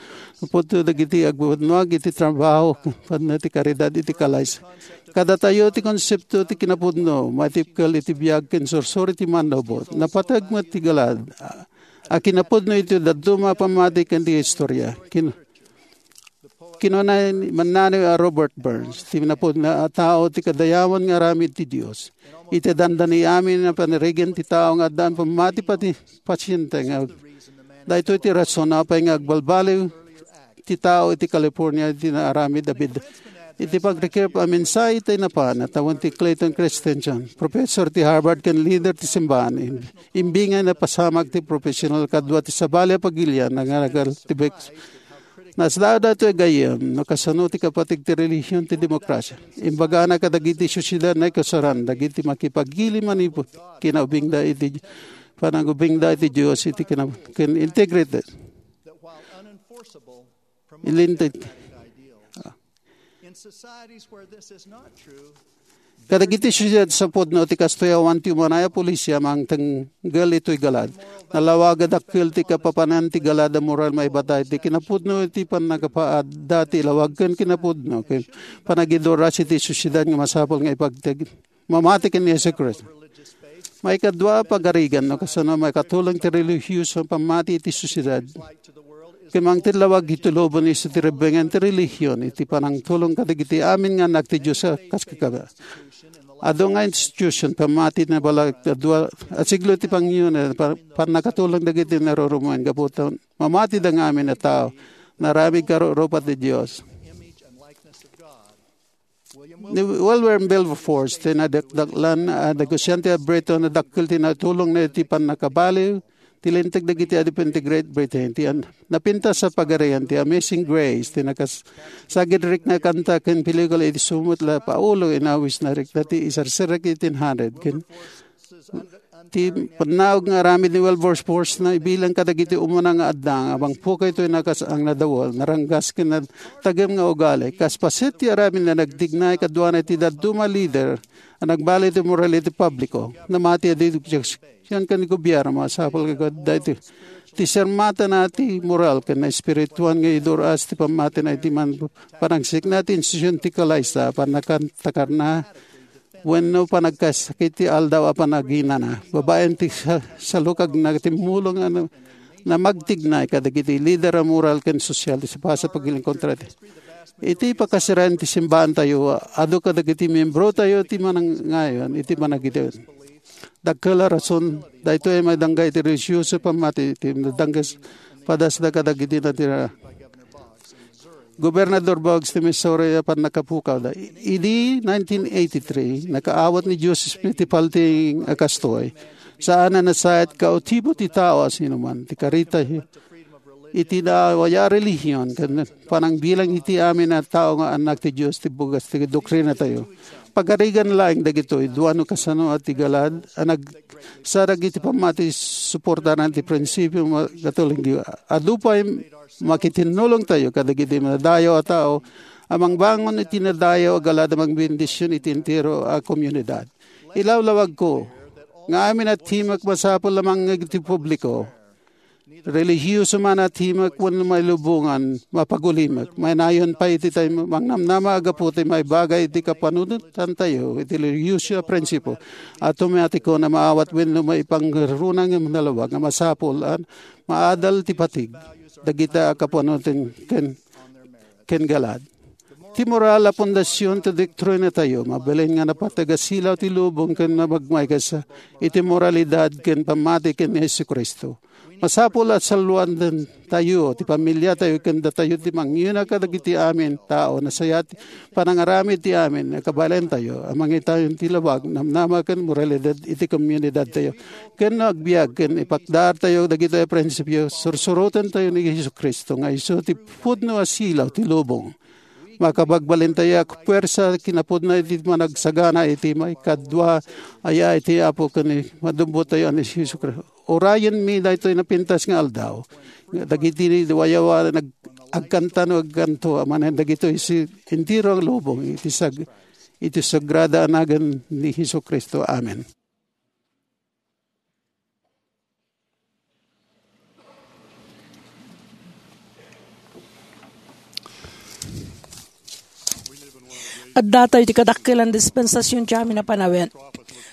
Pudno dagiti agbanag iti trabaho, pudno ti karidad iti kalaysa. Kadatayo ti konsepto ti kinapudno, matipkel iti biag ken sursuri ti manlubot. Napateg met ti galad a kinapudno iti dadduma a pammati ken ti historia. Kin-, kinuna ni mannani a Robert Burns, ti napudno a tao ti kadayawan nga aramid ti Dios. Iti dandani amin a panirigan ti tao nga addaan pammati pati pasiente nga daytoy ti rason apay nga agbalbaliw ti tao iti California iti naaramid a bid-, iti pagrikrip a mensahe iti napan a tawen ti Clayton Christensen, professor ti Harvard ken leader ti simbahan. Im-, imbingay napasamak ti professional kadua ti sabali a pagilian nga nagal ti Bex. Nasdaaw daytoy gayyem no kasano ti kapateg ti relihion ti demokrasia. Imbagana kadagiti sosiedad naikasaran dagiti makipagili manipud kinaubingda iti panagubingda iti Dios iti kina-, ken integrity. Ilinteg. In societies where this is not true, kadagiti sosiedad sa pudno ti kastoy awan ti umanay a polisia mangtenggel itoy galad. Nalawag a dakkel ti kapapanan ti galad a moral maibatay ti kinapudno iti pannakapaadda ti lawag ken kinapudno ken panagiduras iti sosiedad nga masapul nga ipagteg-, mamati ken ni Jesu-Cristo. Maikadua a pagarigan no kasano makatulong ti relihiyoso a pammati iti sosiedad. Ken mangted lawag iti lubong isu ti rebbeng ti relihion iti panangtulong kadagiti amin nga annak ti Dios a kas kakaba. Adu nga institution, pammati na bala, kadua a siglo ti pangyuna, pa-, pannakatulong dagiti narurumuen gapu ta mamati da nga amin a tao. Naramid karurupa ti Dios. Ni William Wilberforce, ti nadakdaklan a negosiante a Briton, a dakkel ti natulongna iti pannakabaliw ti linteg dagiti adipen ti Great Britain. Ti an-, napintas a pagarian, ti Amazing Grace, ti nakas-, saged rikna kanta ken pelikula iti sumut la Paolo, inawisna rikna ti isarserrek iti eighteen hundred. Ken ti pannaog nga aramid ni Wilberforce na ibilang kadagiti umuna nga adda nga mangpukay toy nakas-, ang nadawol, naranggas ken nagtagem nga ugali. Kas paset ti aramid na nagtignay kaduana iti dadduma a lider a nagbali ti moral iti publiko. Namati a di objection ken gobierno, masapul nga daytoy ti sermatana ti moral ken espirituan nga idur-as ti pammatina iti man panangsikna ti institusion ti kalaysa, pannakatakarna, wenno panagkasakit ti aldaw a panaginana. Babaen ti sa-, salukagna, timmulong a na-, namagtignay kadagiti lider a moral ken sosial ti sapasapagil kontra ti. Iti pakasiraen ti simbaantayo, adu kadagiti miembrotayo ti manangayon iti panagidem. Dakkel a rason, daytoy a madangga iti relihiyoso pammati ti nadanggas padasda kadagiti natira. Gobernador Boggs ti Missouri a pannakapukawda. Idi nineteen eighty-three, nakaawat ni Joseph Smith ti paltiing a kastoy. Saan a nasayaat kautibo ti tao a sinuman. Ti karita iti naawaya a relihion, ken panangbilang iti amin a tao nga annak ti Dios ti bugas ti doktrinatayo. Pagarigan laeng dagitoy, dua no kasano a ti galad a nagsadag iti pammati suportaran ti prinsipio nga Katoliko. Adu pay makitinnulongtayo kadagiti madadayaw a tao a mangbangon iti nadayaw a galad a mangbendision iti entero a komunidad. Ilawlawagko nga amin a timek masapul a mangngeg iti publiko. Relihiyoso man a timek wenno mailubongan, mapagulimek. Mainayon pay iti tay mangnamnama a gapu ti maibagay iti kapanunotantayo iti relihiyoso a prinsipo. Automatiko a maawat wenno maipangruna nga nalawag nga masapul a maadal ti patig dagita a kapanunotan ken, ken galad. Ti moral a pundasion ti doktrinatayo, mabalin nga napateg a silaw ti lubong ken mabagmay kas iti moralidad ken pammati ken ni Jesu-Cristo. Masapul a salluantayo ti pamiliatayo ken datayo ti mangyuna kadagiti amin tao. Nasayaat panangaramid ti amin a kabaelantayo a mangitayon ti lawag, namnama ken moralidad iti komunidadtayo. Ken no agbiag ken ipakdaartayo dagitoy a prinsipio, sursurotentayo ni Jesu-Cristo nga isu ti pudno a silaw ti lubong. Makabagbalintayo a puwersa kinapudno iti managsagana iti maikadua a yaay ti Apo ken ni madumbotayo a ni Jesu-Cristo. Urayenmi daytoy napintas nga aldaw. Nga dagiti ni wayawa nag-, agkanta no agkanto, a manen dagitoy si entero a lubong iti sag-, iti sagrada a nagan ni Jesu-Cristo. Amen. Adda tayo ti kadakkelan dispensasion ti amin a panawen.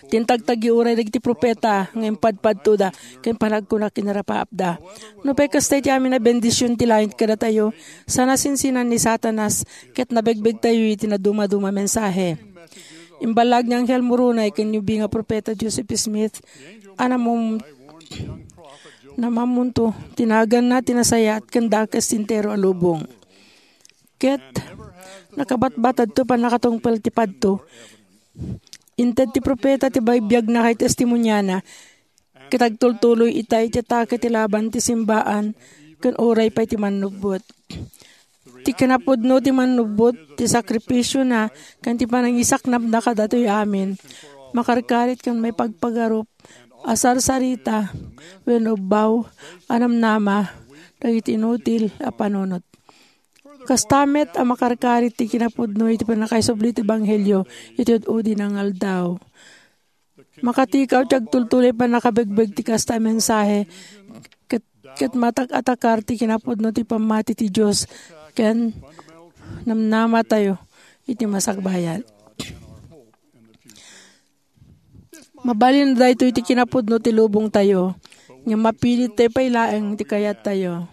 Tintagtagi uray dagiti profeta nga impadpadtoda ken panagkuna kinarapaapda. Nupay kasta iti amin a bendision ti langit kadatayo, saan a sinsinan ni Satanas ket nabegbegtayo iti nadumaduma a mensahe. Imballag ni Angel Moroni ken ni ubing a profeta Joseph Smith a namum-, namammunto ti naganna ti nasayaat ken dakes ti entero a lubong. Ket nakabatbatadto pannakatungpal ti padto. Inted ti profeta ti bibiagna ken testimoniana, ket agtultuloy ita iti atake ti laban ti simbaan ken uray pay ti mannubbot. Ti kinapudno ti mannubbot, ti sakrifisiona, ken ti panangisaknapna kadatoy amin, makarkarit ken maipagpagarup a sarsarita wenno ubbaw a namnama dagiti inutil a panunot. Kasta met a makarkarit ti kinapudno iti pannakaisubli ti ebanghelio iti ud-udi nga aldaw. Makatikaw ti agtultuloy pannakabegbeg ti kasta a mensahe, ket, ket matak-atakar ti kinapudno ti pammati ti Dios ken namnamatayo iti masakbayan. Mabalin daytoy ti kinapudno ti lubongtayo, ngem mapilittayo pay laeng ti kayattayo.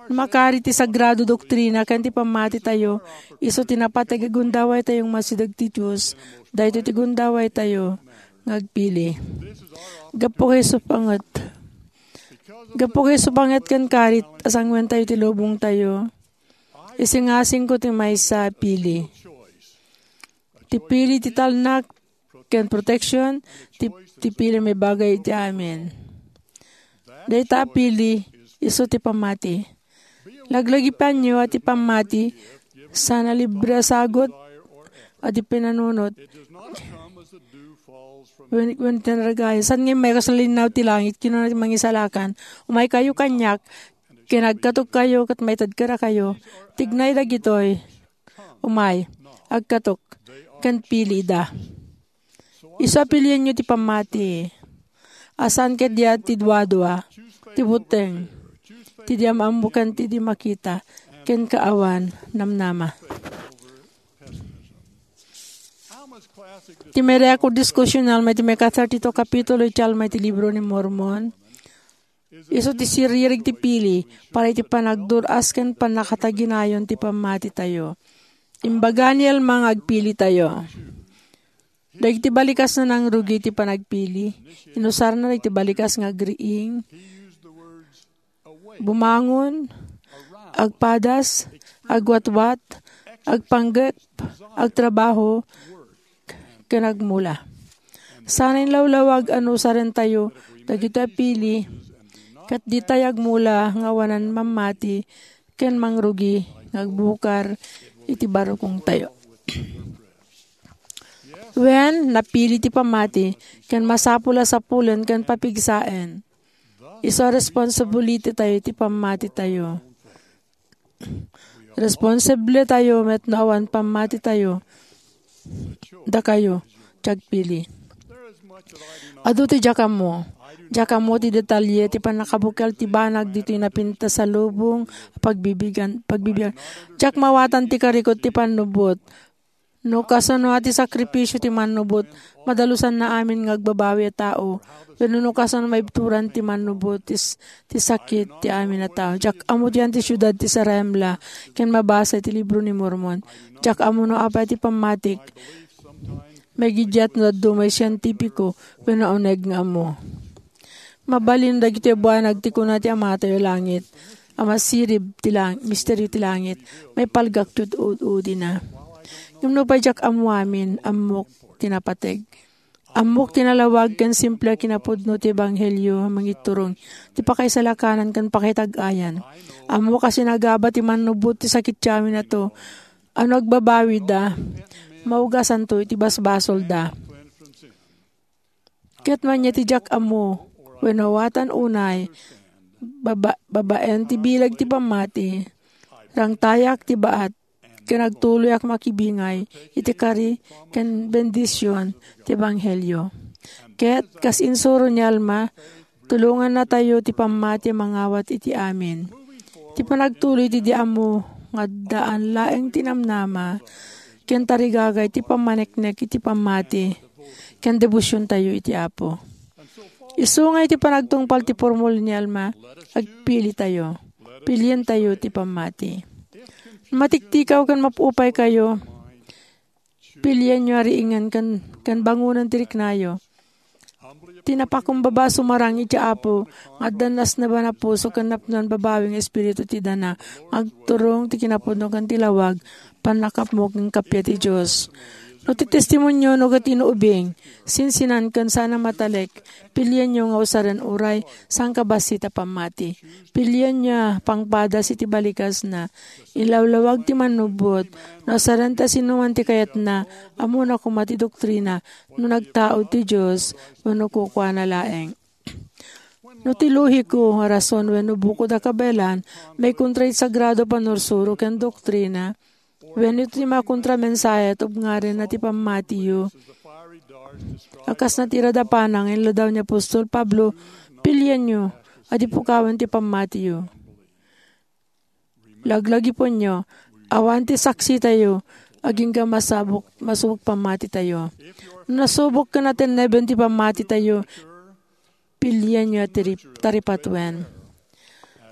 Makari ti sagrado doktrina ken ti pammatitayo, isu ti napateg a gundawaytayo nga masideg ti Dios. Daytoy ti gundawaytayo nga agpili. Gapu kay isu panget, gapu kay isu panget ken karit a sanguentayo ti lubongtayo, isingasingko ti maysa a pili. Ti pili ti talnak ken proteksion, ti, ti pili a maibagay iti amin. Dayta a pili, isu ti pammati. Laglagipanyo a ti pammati, saan a libre a sagut a di pinanunot. Wen, wen ti naragay. Saan nga immay kas linnaw ti langit, kinuna ti Mangisalakan, "Umaykayo kaniak, ken agkatokkayo ket maited kadakayo." Tignay dagitoy. Umay, agkatok, ken pili ida. Isu a pilienyo ti pammati. A saan ket dia ti duadua, ti buteng, ti di maammo ken ti di makita, ken kaawan namnama. Ti Miracle Discussional, may ti may ka thirty-two kapitulo iti Alma iti Libro ni Mormon. Isu ti siririg ti pili para iti panagdur-as ken pannakataginayon ti pammatitayo. Imbaga ni Alma nga agpilitayo. Dagiti balikas nga nangrugi ti panagpili. Inusarna dagiti balikas nga agriing, bumangon, agpadas, agwatwat, agpanggep, agtrabaho, ken agmula. Saan a inlawlawag a no usarentayo dagitoy a pili, ket ditay agmula nga awanan mammati ken mangrugi nga agbukar iti barukongtayo. Wen, napili ti pammati, ken masapul a sapulen ken papigsaen. Isu a responsibility tayo iti pammatitayo. Responsable tayo met no awan pammati tayo. Dakayo, ti agpili. Adu ti diak ammo. Diak ammo ti detalye ti pannakabukel ti banag ditoy napintas a lubong a pagbibigan, pagbibigan. Diak mawatan ti karikot ti pannubbot. No kasano a ti sakripisio ti mannubot, madalusanna amin nga agbabawi a tao, wenno no kasano maibturan ti mannubot ti s-, ti sakit ti amin a tao. Diak ammo dian ti siudad ti Zarahemla ken mabasa iti libro ni Mormon. Diak ammo no apay ti pammatik. Maigiddiat no dadduma a sientipiko wenno uneg nga ammo. Mabalin dagitoy a buanag ti kuna ti Amatayo a langit, a masirib ti lang-, misterio ti langit, maipalgak ti ud-, udina. Ngem no pay diak ammo amin, ammok ti napateg. Ammok ti nalawag ken simple a kinapudno ti ebanghelio a mangiturong ti pakaisalakanan ken pakaitag-ayan. Ammok a sinagaba ti mannubot ti sakit ti amin a tao, a no agbabawida, maugasanto iti basbasolda. Ket mania ti diak ammo, wenno awaten unay, baba-, babaen ti bileg ti pammati, rangtayak ti baat, ken agtuloyak makibingay iti kari ken bendision ti ebanghelio. Ket kas insuro ni Alma, tulongannatayo ti pammati a mangawat iti amin. Ti panagtuloy iti di ammo nga addaan laeng ti namnama ken tarigagay ti pammaneknek iti pammati ken debosiontayo iti Apo. Isu nga iti panagtungpal ti purmol ni Alma, agpilitayo. Pilientayo ti pammati. Matiktikaw ken mapupaykayo, pilienyo a riingen ken, ken bangonen ti riknayo. Ti napakumbaba sumarang iti Apo, nga addan nasneban a puso ken napnoan babawi nga espiritu ti dana, nga agturong ti kinapudno ken ti lawag, pannakapmo ken kappia ti Dios. No ti testimonio no ket inuubing, sinsinan ken sana matalek, pilienyo nga usaren uray sangkabassit a pammati. Pilienyo a pangpadas iti balikasna. Ilawlawag ti mannubot, no usaren ta sinoman ti kayatna, ammona koma ti doktrina, no nagtaud ti Dios, wenno kukuana laeng. No ti luhiko a rason wenno bukod a kabaelan, maikontra iti sagrado a pannursuro ken doktrina, wenno ti makontra a mensahe a tubngarenna ti pammatiyo, a kas natiraed a pana nga inladaw ni apostol Pablo, pilienyo a di pukawen ti pammatiyo. Laglagipenyo, awan ti saksitayo, agingga masabok, masubok pammatitayo. No nasubok ken natenneben ti pammatitayo, pilienyo a tiri-, taripatuen.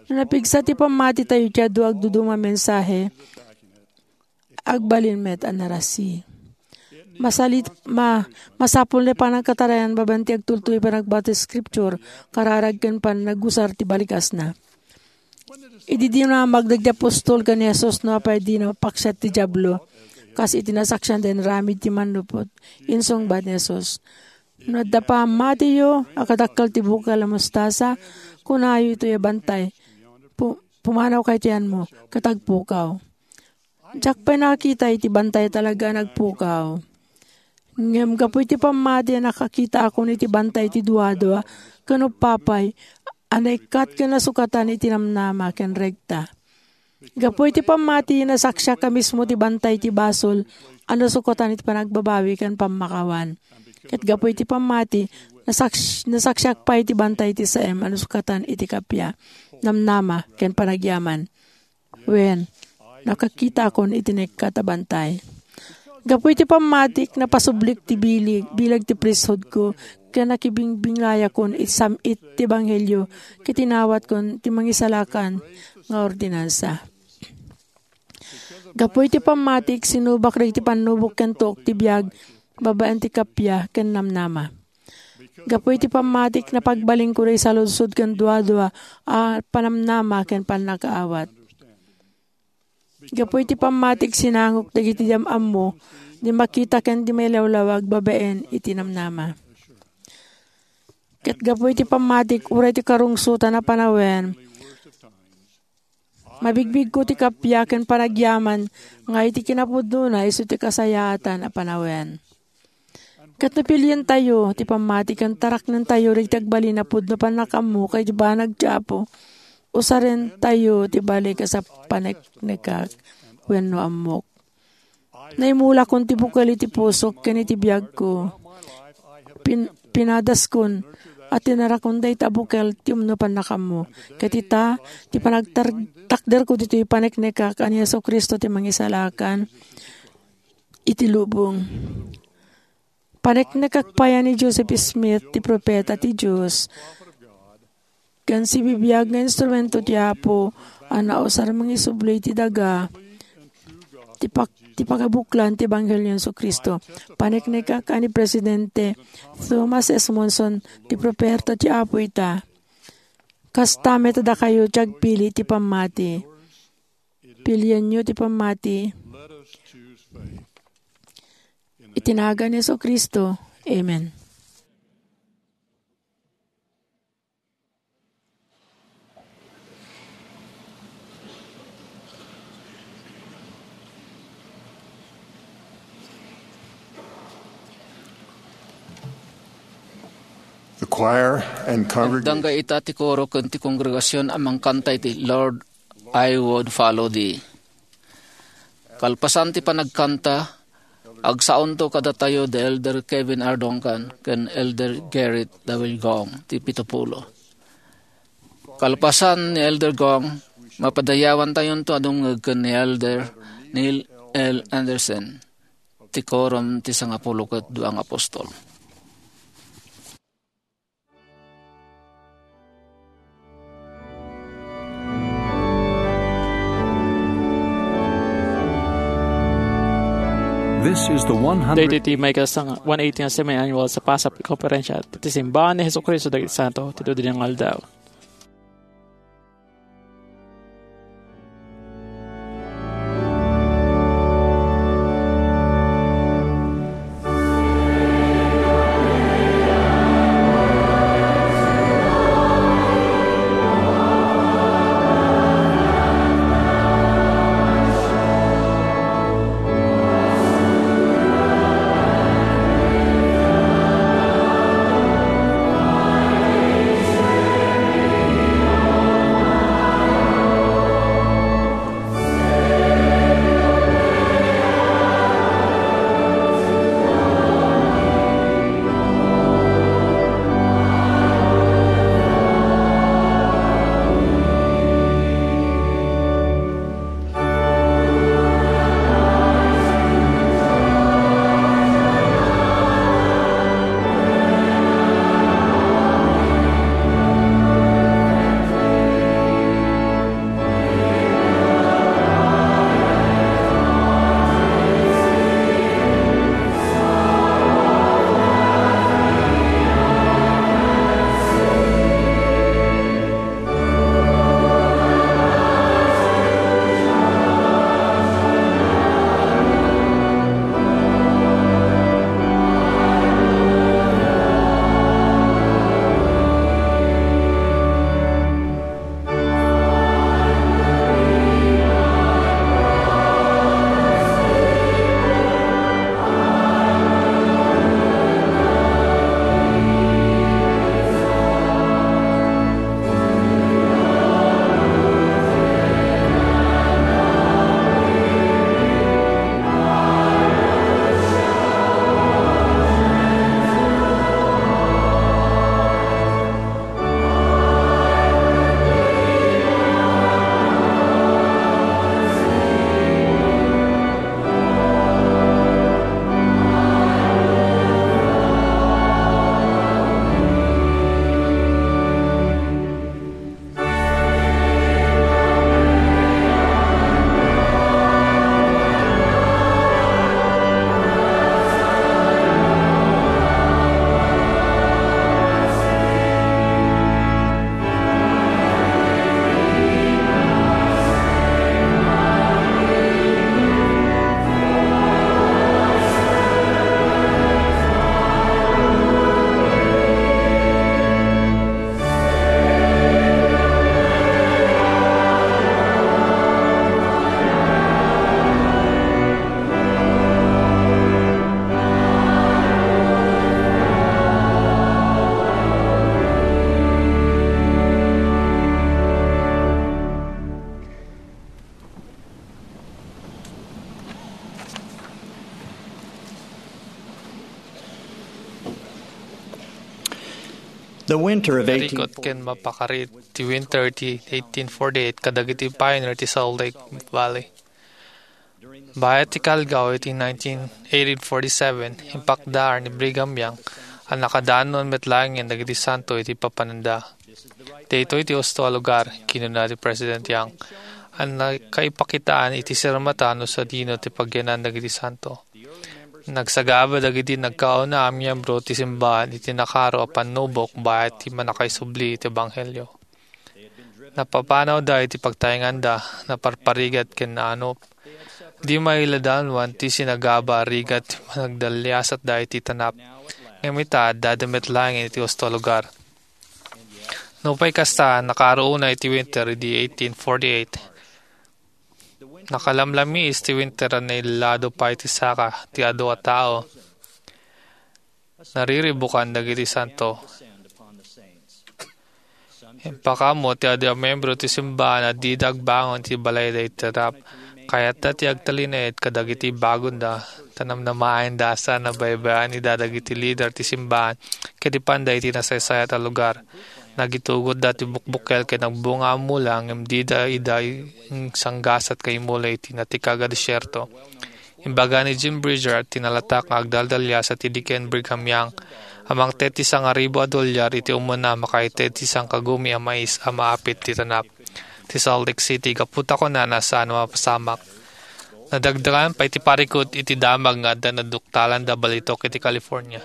No napigsa ti pammatitayo iti adu a agduduma a mensahe, agbalin met a narasi. Masalit-, ma-, masapul ti panagkatarayan babaen ti agtultuloy panagbasa ti Scripture, kararag ken panagusar ti balikasna. Idi dinamag dagiti apostol ken ni Jesus no apay dina mapaksiat ti Diablo, kas iti nasaksianda inaramid ti mannubot, insungbat ni Jesus, "No adda pammatiyo a kadakkel ti bukel a mostasa, kunayo itoy a bantay, 'Pu-, pumanaw kay ti yanmo,' ket agpukaw." Diak pay nakakita iti bantay a talaga a nagpukaw. Ngem gapu iti pammati a nakakitaakon iti bantay ti duadua ken upapay a naikkat ken nasukatan iti namnama ken rekta. Gapu iti pammati, nasaksiak a mismo ti bantay ti basol a nasukatan iti panagbabawi ken pammakawan. Ket gapu iti pammati, nasaks-, nasaksiak pay ti bantay ti saem a nasukatan iti kappia, namnama, ken panagyaman. Wen, nakakitaakon iti naikkat a bantay. Gapu iti pammatik, napasublik ti bileg, bileg ti priesthoodko, ken nakibigbinglayakon iti sam-it ti ebanghelio, ket inawatkon ti mangisalakan nga ordinansa. Gapu iti pammatik, sinubak dagiti pannubok ken tuok ti biag babaen ti kappia ken namnama. Gapu iti pammatik, napagbalinko dagiti saludsod ken duadua a panamnama ken pannakaawat. Gapu iti pammatik, sinangok dagiti di am-ammo, di makita ken di mailawlawag babaen iti namnama. Ket gapu iti pammatik, uray ti karungsotan a panawen, mabigbigko ti kappia ken panagyaman nga iti kinapudnona isu ti kasayaatan a panawen. Ket no pilientayo ti pammati ken taraknentayo dagiti agbalin a pudno pannakammo ken iti banag ti Apo, usarentayo ti balik a sa paneknekak wenno ammok. Naimulakon ti bukel iti pusok ken iti biagko. Pin-, pinadaskon a tinarakon dayta a bukel ti umno pannakammo. Ket ita, ti panagtar-, takderko ditoy paneknekak a ni Jesu-Cristo ti Mangisalakan, iti lubong. Paneknekak pay a ni Joseph Smith ti profeta ti Dios, ken sibibiag nga instrumento ti Apo a nausar mangisubli iti daga ti pak-, ti pagabuklan ti Ebanghelio ni Jesu-Cristo. Paneknekak a ni Presidente Thomas S. Monson ti profeta ti Apo ita. Kasta met a dakayo ti agpili ti pammati. Pilienyo ti pammati. Iti nagan ni Jesu-Cristo. Amen. The choir and congregation. Agdangga ita ti koro ken ti kongregasion a mangkanta iti Lord, I Would Follow Thee. Kalpasan ti panagkanta, agsaonto kadatayo ni Elder Kevin R. Duncan ken Elder Garrett W. Gong ti pito pulo. Kalpasan ni Elder Gong, mapadayawantayonto a dumngeg ken ni Elder Neil L. Andersen ti Korom ti Sangapulo ket Dua nga Apostol. This is the one hundred. Daytoy ti maikasang one eighty nga semi-annual sa Pasap Konferensya ti Simbahan ni Jesu-Cristo dagiti Santo ti Dudi nga Aldaw. The winter of eighteen forty-eight. Narikot ken mapakari ti winter ti eighteen forty-eight kadagiti pioneer ti Salt Lake Valley. Bayat ti kalgaw iti nineteen, eighteen forty-seven, impakdaar ni Brigham Young a nakadanon met laengen dagiti santo iti papananda. Daytoy ti husto a lugar, kinuna ni President Young, a nakaipakitaan iti sirmatan no sadino ti pagyanan dagiti santo. Nagsagaba dagiti nagkauna a miyembro ti simbahan iti nakaro a pannubok bayat ti mannakaisubli iti ebanghelio. Napapanawda iti pagtaenganda, naparparigat ken naanop. Di mailadaanwan ti sinagaba a rigat ti panagdaliasatda iti tanap. Ngem ita, addada met laeng iti husto a lugar. Nupay kasta, nakaro unay ti winter idi eighteen forty-eight. Nakalamlamiis ti winter a nailado pay ti saka ti adu a tao. Nariribukan dagiti santo. Impakaammo ti adu a miyembro ti simbahan a dida agbangon iti balayda iti tanap. Kayatda ti agtalinaed kadagiti bagonda, ta namnamaenda a saan a baybay-an ida dagiti lider ti simbahan ket ipanda iti nasaysayat a lugar. Nagitugotda ti bukbukel ken agbunga a mula ngem dida ida insanggasat nga imula iti natikag a desierto. Imbaga ni Jim Bridger ti nalatak nga agdaldalias a ti diken Brigham Young a mangted ti sangaribu a dolyar iti umuna a makaited ti sangkagumi a mais a maapit ti tanap ti Salt Lake City gapu ta kunana a saan a mapasamak. Nadagdagan pay ti parikut iti damag nga adda naduktalanda balitok iti California.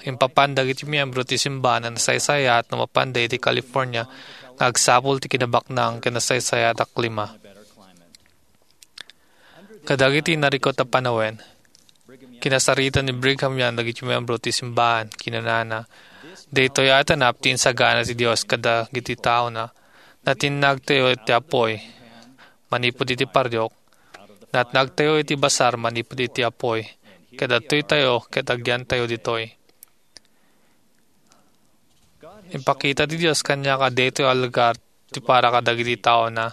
Impapan dagiti miyembro ti simbahan a nasaysayaat no mapanda iti California nga agsapul ti kinabaknang ken nasaysayaat a klima. Kadagiti narikut a panawen, kinasarita ni Brigham Young dagiti miyembro ti simbahan. Kinunana, "Daytoy a tanap ti insagana ti Dios kadagiti taona. Natinnagtayo iti apuy manipud iti pariok. Natnagtayo iti basar manipud iti apuy. Ket adtoytayo ket agyantayo ditoy." Impakita ti Dios kaniak a daytoy a lugar ti para kadagiti taona.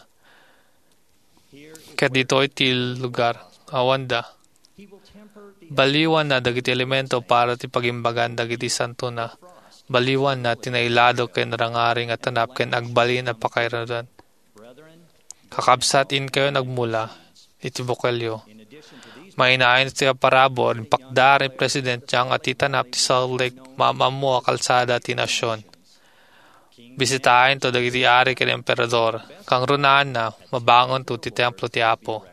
Ket ditoy ti lugar awanda. Baliwanna dagiti elemento para ti pagimbagan dagiti santona. Baliwanna ti nailado ken rangaring a tanap ken agbalin a pakairudan. Kakabsat, inkayon agmula iti bukelyo. Mainayon iti parabur, impakdaar ni President Young a ti tanap ti Salt Lake maam-ammo a kalsada ti nasion. Bisitaentayo dagiti ari ken emperador. Kangrunaanna, mabangonto ti templo ti Apo.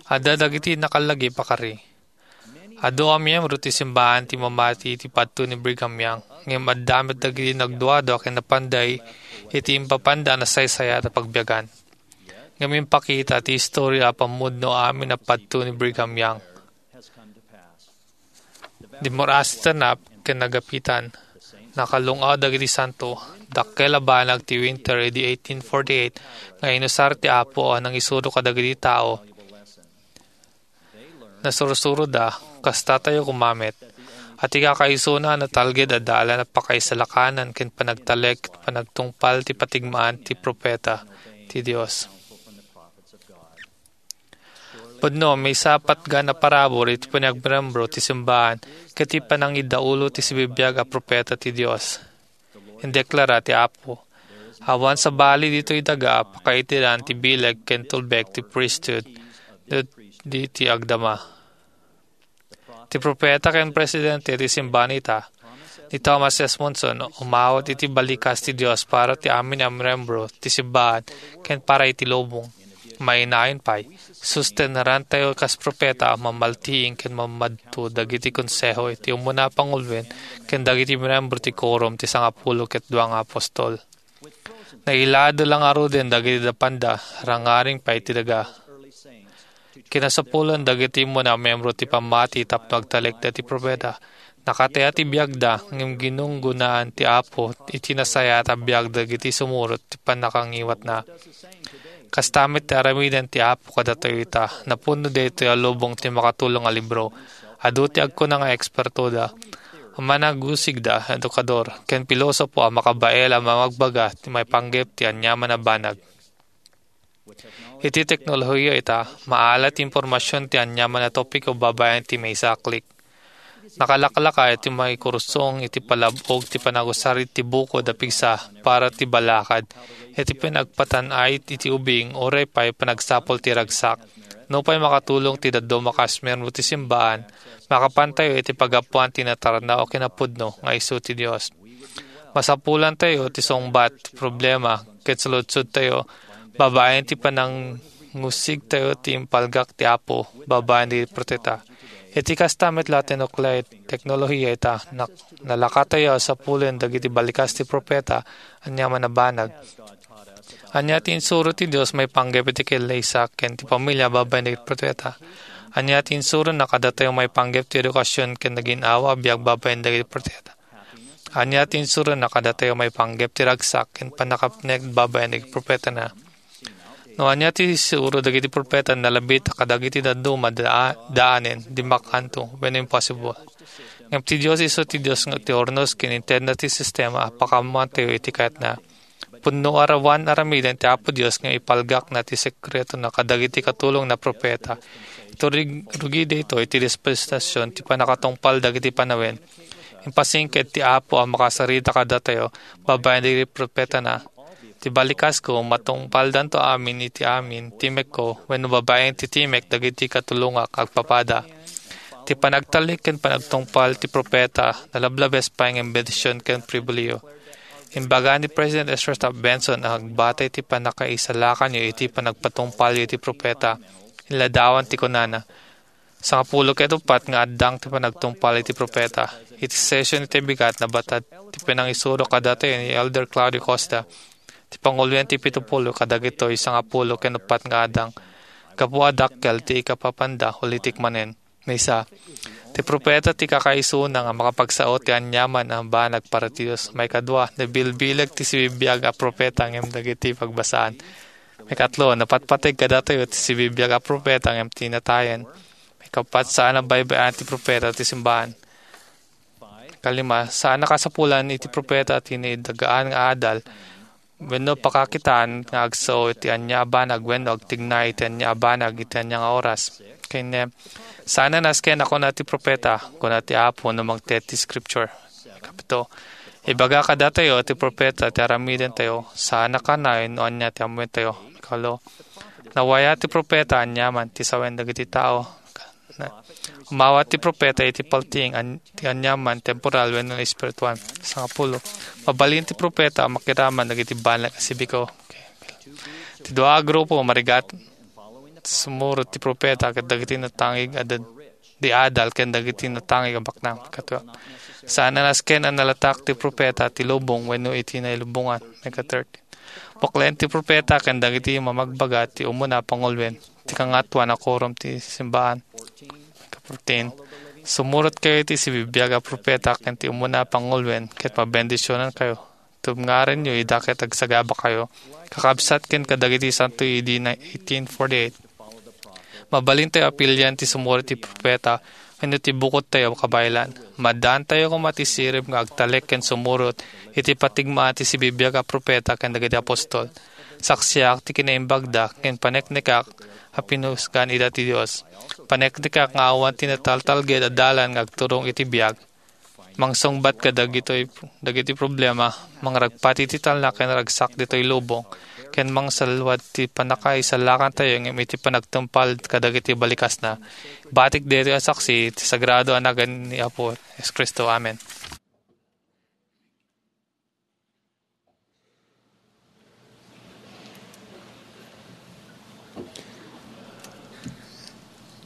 Adda dagiti nakalagip a kari. Adu a miyembro ti simbahan ti mamati iti padto ni Brigham Young, ngem adda met dagiti nagduadua ken napanda iti impapanda a nasaysayat a pagbiagan. Ngem impakita ti istorya a pammudno amin a padto ni Brigham Young. Dimmuras ti tanap ken nagapitan. Nakalung-aw dagiti santo. Dakkel a banag ti winter idi eighteen forty-eight nga inusar ti Apo a nangisuro kadagiti tao. Nasursuroda, kasta tayo koma met. A ti kakaisuna a natalged a dalan a pakaisalakanan ken panagtalek ket panagtungpal ti patigmaan ti propeta ti Dios. Pudno, maysa a patgan a parabur iti panagmembro ti simbahan ket ti panangidaulo ti sibibiag a propeta ti Dios. Indeklara ti Apo, "Awan sabali ditoy daga a pakaitiran ti bileg ken tulbek ti priesthood dagiti agdama." Ti propeta ken presidente ti simbahan ita, ni Thomas S. Monson, umawat iti balikas ti Dios para ti amin a miyembro ti simbahan ken para iti lubong. Mainayon pay, sustennarantayo kas propeta a mamaltiing ken mamadto dagiti konseho iti umuna a panguloen ken dagiti miyembro ti Quorum ti Sangapulo ket Dua nga Apostol. Nailado la ngaruden dagiti napanda, rangaring pay ti daga. Kinasapulan dagiti umuna a miyembro ti pammati tapno agtalekda ti propeta. Nakataya ti biagda, ngem ginunggonaan ti Apo iti nasayaat a biag dagiti sumurot ti pannakangiwatna. Kasta met ti aramiden ti Apo kadatayo ita. Napuno daytoy a lubong ti makatulong a libro. Adu ti agkuna nga ekspertoda, managusigda, edukador, ken pilosopo a makabael a mamagbaga ti maipanggep ti aniaman a banag. Iti teknolohiya ita, maala ti impormasion ti aniaman a topiko babaen ti maysa a click. Nakalaklaka iti maikursong iti palab-og ti panagusar iti bukod a pigsa para ti balakad, iti panagpatan-ay iti ubing, uray pay panagsapul ti ragsak. Nupay makatulong ti dadduma a kasmer no ti simbaan, makapantayo iti paggapuan ti natarna o kinapudno nga isu ti Dios. Masapulantayo ti sungbat, problema, ket saludsodtayo babaen ti panangusigtayo ti impalgak ti Apo babaen dagiti profeta. Iti kasta met la ti nuklear teknolohiya ita, nak-, nalakatayo a sapulen dagiti balikas ti profeta aniaman a banag. Ania ti insuro ti Dios maipanggep iti kallaysa ken ti pamilia babaen dagiti profeta? Ania ti insurona kadatayo maipanggep ti edukasyon ken nagin-awa a biag babaen dagiti profeta? Ania ti insurona kadatayo maipanggep ti ragsak ken pannakapnek babaen dagiti profetana? No ania ti isuro dagiti profeta, nalabit a kadagiti dadduma daa-, daanen, dimmakkanto, wenno impossible. Ngem ti Dios isu ti Dios nga ti urnos ken intedna ti sistema a pakaammoantayo iti kayatna. Pudno a rawan aramiden ti Apo Dios nga ipalgakna ti sekretona kadagiti katulongna a profeta. Iti rug-, rugi daytoy ti dispensasyon ti pannakatungpal dagiti panawen. Impasingked ti Apo a makasarita kadatayo babaen dagiti profetana. Ti balikasko, matungpaldanto amin iti amin timekko wenno babaen ti timek dagiti katulongak agpapada. Ti panagtalek ken panagtungpal ti profeta, nalablabes pay nga bendision ken pribilehiyo. Imbaga ni President Ezra Taft Benson a agbatay ti pannakaisalakanyo iti panagpatungpalyo iti profeta, inladawan ti kunana, "Sangapulo ket uppat nga addang ti panagtungpal iti profeta." Iti session iti bigat, nabatad ti panangisuro kadatayo ni Elder Claudio Costa, ti panguloen ti pitupulo kadagitoy sangapulo ken uppat nga addang, gapu a dakkel ti ikapapanda ulitek manen. Maysa, ti profeta ti kakaisuna nga makapagsao ti aniaman a banag para ti Dios. Maikadua, nabilbileg ti sibibiag a profeta ngem dagiti pagbasaan. Maikatlo, napatpateg kadatayo ti sibibiag a profeta ngem ti natayen. Maikaupat, saan a baybay-an ti profeta ti simbaan. Kalima, saan a kasapulan iti profeta ti naidagaan nga adal wenno pakakitaan nga agsao iti ania a banag wenno agtignay iti ania a banag iti ania nga oras. Ken, eh, saan a nasken a kuna ti profeta, kuna ti Apo no mangted ti Scripture. Kapito, ibaga kadatayo ti profeta ti aramidentayo, saan a kanay no ania ti ammoentayo. Kalo, nawaya ti profeta aniaman ti sawen dagiti tao. Na, umawat ti profeta iti paltiing an-, ti aniaman, temporal wenno espirituan. Sangapulo, mabalin ti profeta a makiraman dagiti banag a sibiko. Okay. Ti dua a grupo, marigat, sumurot ti profeta ket dagiti natangig a dad-, di adal ken dagiti natangig a baknang. Katua, saan a nasken a nalatak ti profeta ti lubong wenno iti nailubongan. Mega thirteen. Puklen ti profeta ken dagiti mamagbaga ti umuna a panguloen, ti kangatoan a kurom ti simbaan. Fourteen, sumurotkayo iti sibibiag a profeta ken ti umuna a panguloen, ket mabendisionankayo. Tubngarenyo ida ket agsagabakayo, kakabsat ken kadagiti santo idi na eighteen forty-eight. Mabalintayo a pilian ti sumurot ti profeta wenno ti bukodtayo a kabaelan. Maddaantayo koma ti sirib nga agtalek ken sumurot iti patigmaan ti sibibiag a profeta ken dagiti apostol. Saksiak ti kinaimbagda ken paneknekak a pinusgan ida ti Dios. Paneknekak nga awan ti nataltalged a dalan nga agturong iti biag. Mangsungbat kadagitoy, dagiti problema, mangragpati ti talna ken ragsak ditoy lubong, ken mangsalwad ti pannakaisalakantayo ngem iti panagtungpal kadagiti balikasna. Batik daytoy a saksi ti sagrado a nagan ni Apo Jesu-Cristo. Amen.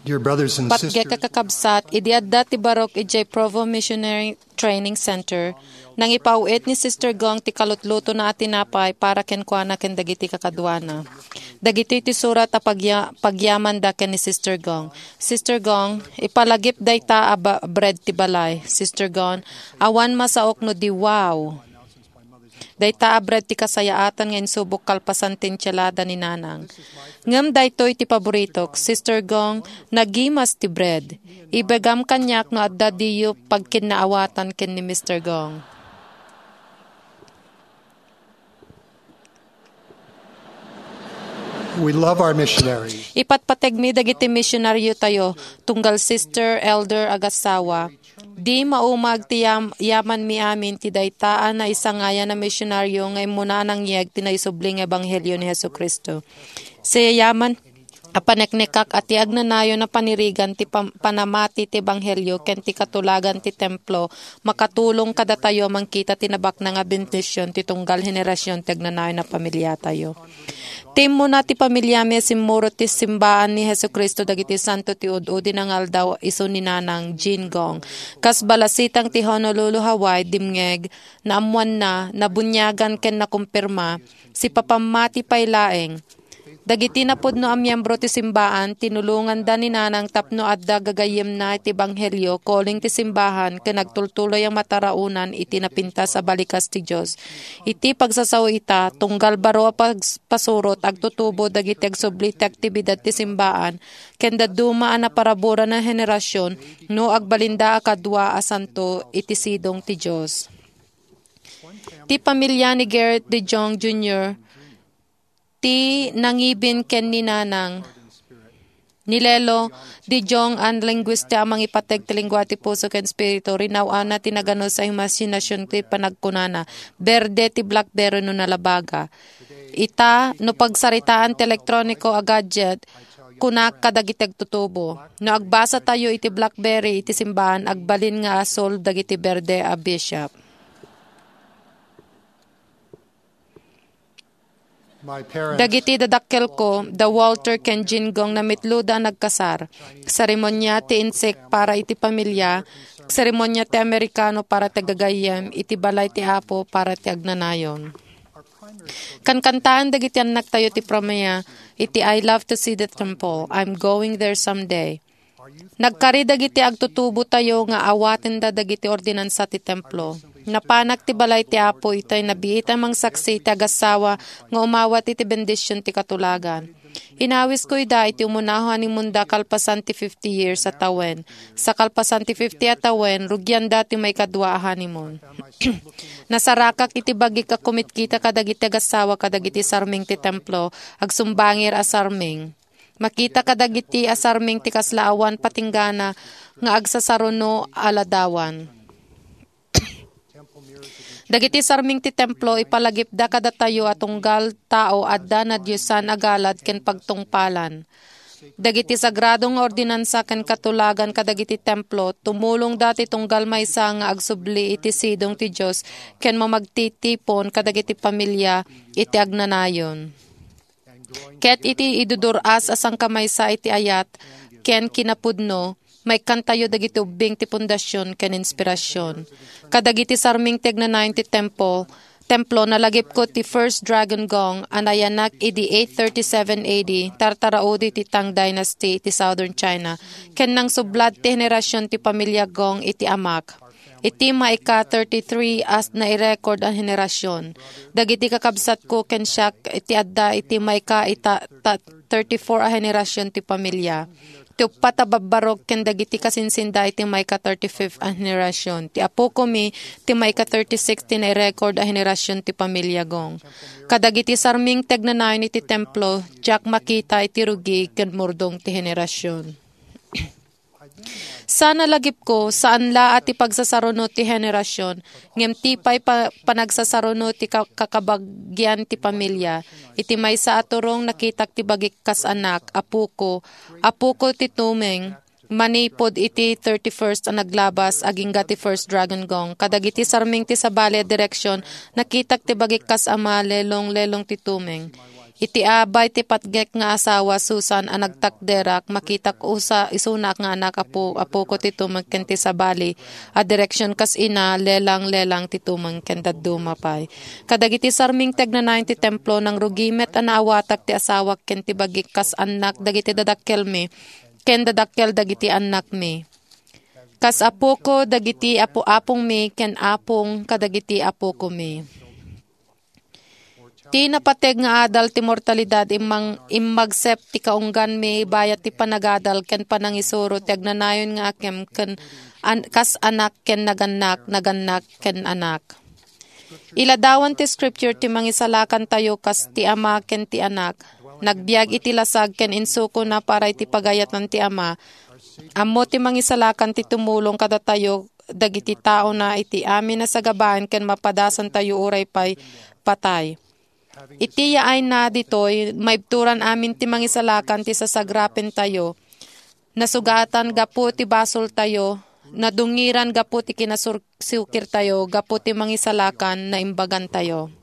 Dear brothers and Patgek a sisters, kakabsat, idi adda ti barok idiay Provo Missionary Training Center, nangipaw-it ni Sister Gong ti kalutlutona a tinapay para kenkuana ken dagiti kakaduana. Dagitoy ti surat a pagya-, pagyamanda ken ni Sister Gong. "Sister Gong, ipalagip dayta a ba-, bread ti balay." Sister Gong, "Awan masaok no di wow." Dayta a bread ti kasayaatan nga insubok kalpasan ti intialada ni Nanang. Ngem daytoy ti paboritok, Sister Gong, nagimas ti bread. Ibagam kaniak no adda diyo pagkinnaawatan ken ni Mister Gong. We love our missionaries. Ipatpategmi dagiti misionariotayo, tunggal sister, elder, agassawa. Di maumag ti yam-, yamanmi amin ti dayta a naisangayan a misionario nga immuna a nangyeg ti naisubli nga ebanghelio ni Jesu-Cristo. Siyayaman, a paneknekak a ti agnanayon a panirigan ti pam-, panamati ti ebanghelio ken ti katulagan ti templo makatulong kadatayo a mangkita ti nabaknang a bendision ti tunggal henerasion ti agnanayon a pamiliatayo. Ti immuna ti pamiliami a simmurot ti simbaan ni Jesu-Cristo dagiti santo ti ud-udi nga aldaw isu ni Nanang Jean Gong. Kas balasitang ti Honolulu, Hawaii, dimngeg, naammoanna, nabuniagan ken nakumpirma, sipapammati pay laeng. Dagiti napudno a miembro ti simbaan, tinulonganda ni Nanang tapno adda gagayyemna iti ebanghelio, calling ti simbahan, ken agtultuloy a mataraonan iti napintas a balikas ti Dios. Iti pagsasao ita, tunggal baro a pags-, pasurot, agtutubo dagiti agsubli ti aktibidad ti simbaan, ken dadduma a naparaburan a henerasion no agbalinda a kadua a santo iti sidong ti Dios. Ti pamilia ni Gerrit de Jong Junior ti nangibin ken ni Nanang. Ni Lelo de Jong, a linguista a mangipateg ti lengguahe ti puso ken espiritu, rinaw-anna ti naganus a imaginasion ti panagkunana, "Berde ti BlackBerry no nalabaga." Ita, no pagsaritaan ti elektroniko a gadget, kunak kadagiti agtutubo, "No agbasatayo iti BlackBerry iti simbaan, agbalin nga asul dagiti berde a bishop." Dagiti dadakkelko, da Walter ken Jean Gong, namitloda a nagkasar. Seremonia ti insik para iti pamilia, seremonia ti Amerikano para ti gagayyem, iti balay ti Apo para ti agnanayon. Kankantaan dagiti annaktayo ti pramia iti "I love to see the temple. I'm going there someday." Nagkari dagiti agtutubotayo nga awatenda dagiti ordinansa ti templo. Napanak ti balay ti Apo itay nabiit a mangsaksi iti agassawa nga umawat iti bendision ti katulagan. Inawisko ida iti umuna a honeymoonda kalpasan ti fifty years a tawen. Sa kalpasan ti fifty a tawen, rugianda ti maikadua a honeymoon. Nasarakak iti bagik a kumitkita kadagiti agassawa kadagiti sarming ti templo, agsumbangir a sarming. Makita kadagiti a sarming ti kasla awan patinggana nga agsasaruno a ladawan. Dagiti sarming ti templo, ipalagipda kadatayo a tunggal tao adda nadiosan a galad ken pagtungpalan. Dagiti sagrado nga ordinansa ken katulagan kadagiti templo, tumulongda ti tunggal maysa nga agsubli iti sidong ti Dios ken mamagtitipon kadagiti pamilia iti agnanayon. Ket iti idudur-as a sangkamaysa iti ayat ken kinapudno, maikkantayo dagiti ubbing ti pundasion ken inspirasion. Kadagiti sarming ti agnanayon ti templo, templo, nalagipko ti First Dragon Gong a nayanak idi eight thirty-seven A D, tartaraudi ti Tang Dynasty iti Southern China, ken nangsublat ti henerasion ti pamilia Gong iti amak. Iti maika thirty-three a nairekord a henerasion. Dagiti kakabsatko ken siak iti adda iti maika ita-, ta-, thirty-four a henerasion ti pamilia. Ti uppat a babbarok ken dagiti kasinsinda iti maika thirty-fifth a henerasion. Ti apokomi ti maika thirty-six ti nairekord a henerasion ti pamilia Gong. Kadagiti sarming ti agnanayon iti templo, diak makita iti rugi ken murdong ti henerasion. Sa nalagipko, saan la a ti pagsasaruno ti henerasion, ngem ti pay pa-, panagsasaruno ti ka-, kakabagian ti pamilia. Iti maysa a turong, nakitak ti bagik kas anak, apoko, apoko ti tumeng, manipud iti thirty-first a naglabas, agingga ti First Dragon Gong. Kadagiti sarming ti sabali a direksion, nakitak ti bagik kas ama, lelong, lelong ti tumeng. Iti abay ti patgek nga asawa, Susan, a nagtakderak, makitak usa, isunak nga anak, apo-, apoko ti tumeng ken ti sabali a direksion kas ina, lelang, lelang ti tumeng ken dadduma pay. Kadagiti sarming ti agnanayon ti templo, nangrugi met a naawatak ti asawak ken ti bagik kas annak dagiti dadakkelmi, ken dadakkel dagiti annakmi. Kas apoko dagiti apo-, apongmi ken apong kadagiti apokomi. Ti napateg nga adal ti mortalidad immang-, immagsep ti kaungganmi bayat ti panagadal ken panangisuro ti agnanayon nga akem ken an-, kas anak ken nagannak, nagannak ken anak. Iladawan ti Scripture ti mangisalakantayo kas ti ama ken ti anak. Nagbiag iti lasag ken insukona para iti pagayatan ti ama. Ammo ti mangisalakan ti tumulong kadatayo dagiti taona iti amin a sagabaen ken mapadasantayo uray pay patay. Iti yaayna ditoy, maibturan amin ti mangisalakan ti sasagrapentayo. Nasugatan gapu ti basoltayo, nadungiran gapu ti kinasur-, sukirtayo, gapu ti mangisalakan naimbagantayo.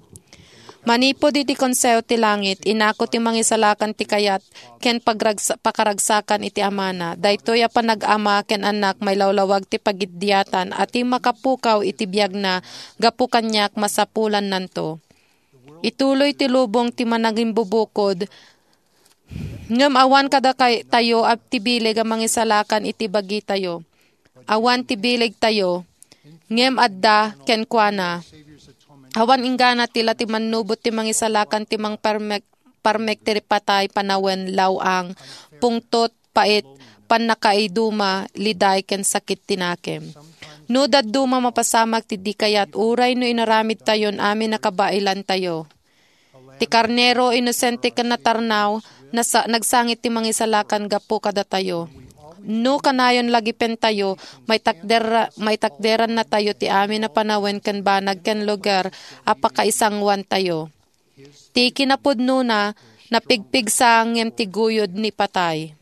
Manipud iti Konseho ti Langit, inako ti mangisalakan ti kayat ken pagragsa-, pakaragsakan iti Amana. Daytoy a panag-ama ken annak mailawlawag ti pagiddiatan a ti makapukaw iti biagna gapu kaniak masapulannanto. Ituloy ti lubong ti Manangimbubukod, ngem awan kada kay-, tayo a ti bileg a mangisalakan iti bagitayo. Awan ti bilegtayo, ngem adda kenkuana. Awan inggana ti la ti mannubot ti mangisalakan ti mangparmek-, parmek ti patay panawen, law-ang, pungtot, pait, pannakaiduma, liday, ken sakit ti nakem. No dadduma mapasamak ti di kayat, uray no inaramidtayon amin a kabailantayo. Ti karnero, inosente ken natarnaw, nasa-, nagsangit ti mangisalakan gapu kadatayo. No kanayon lagipentayo, maitakder-, maitakderannatayo ti amin a panawen ken banag ken lugar a pakaisanguantayo. Ti kinapudnona, napigpigsa ngem ti guyod ni patay.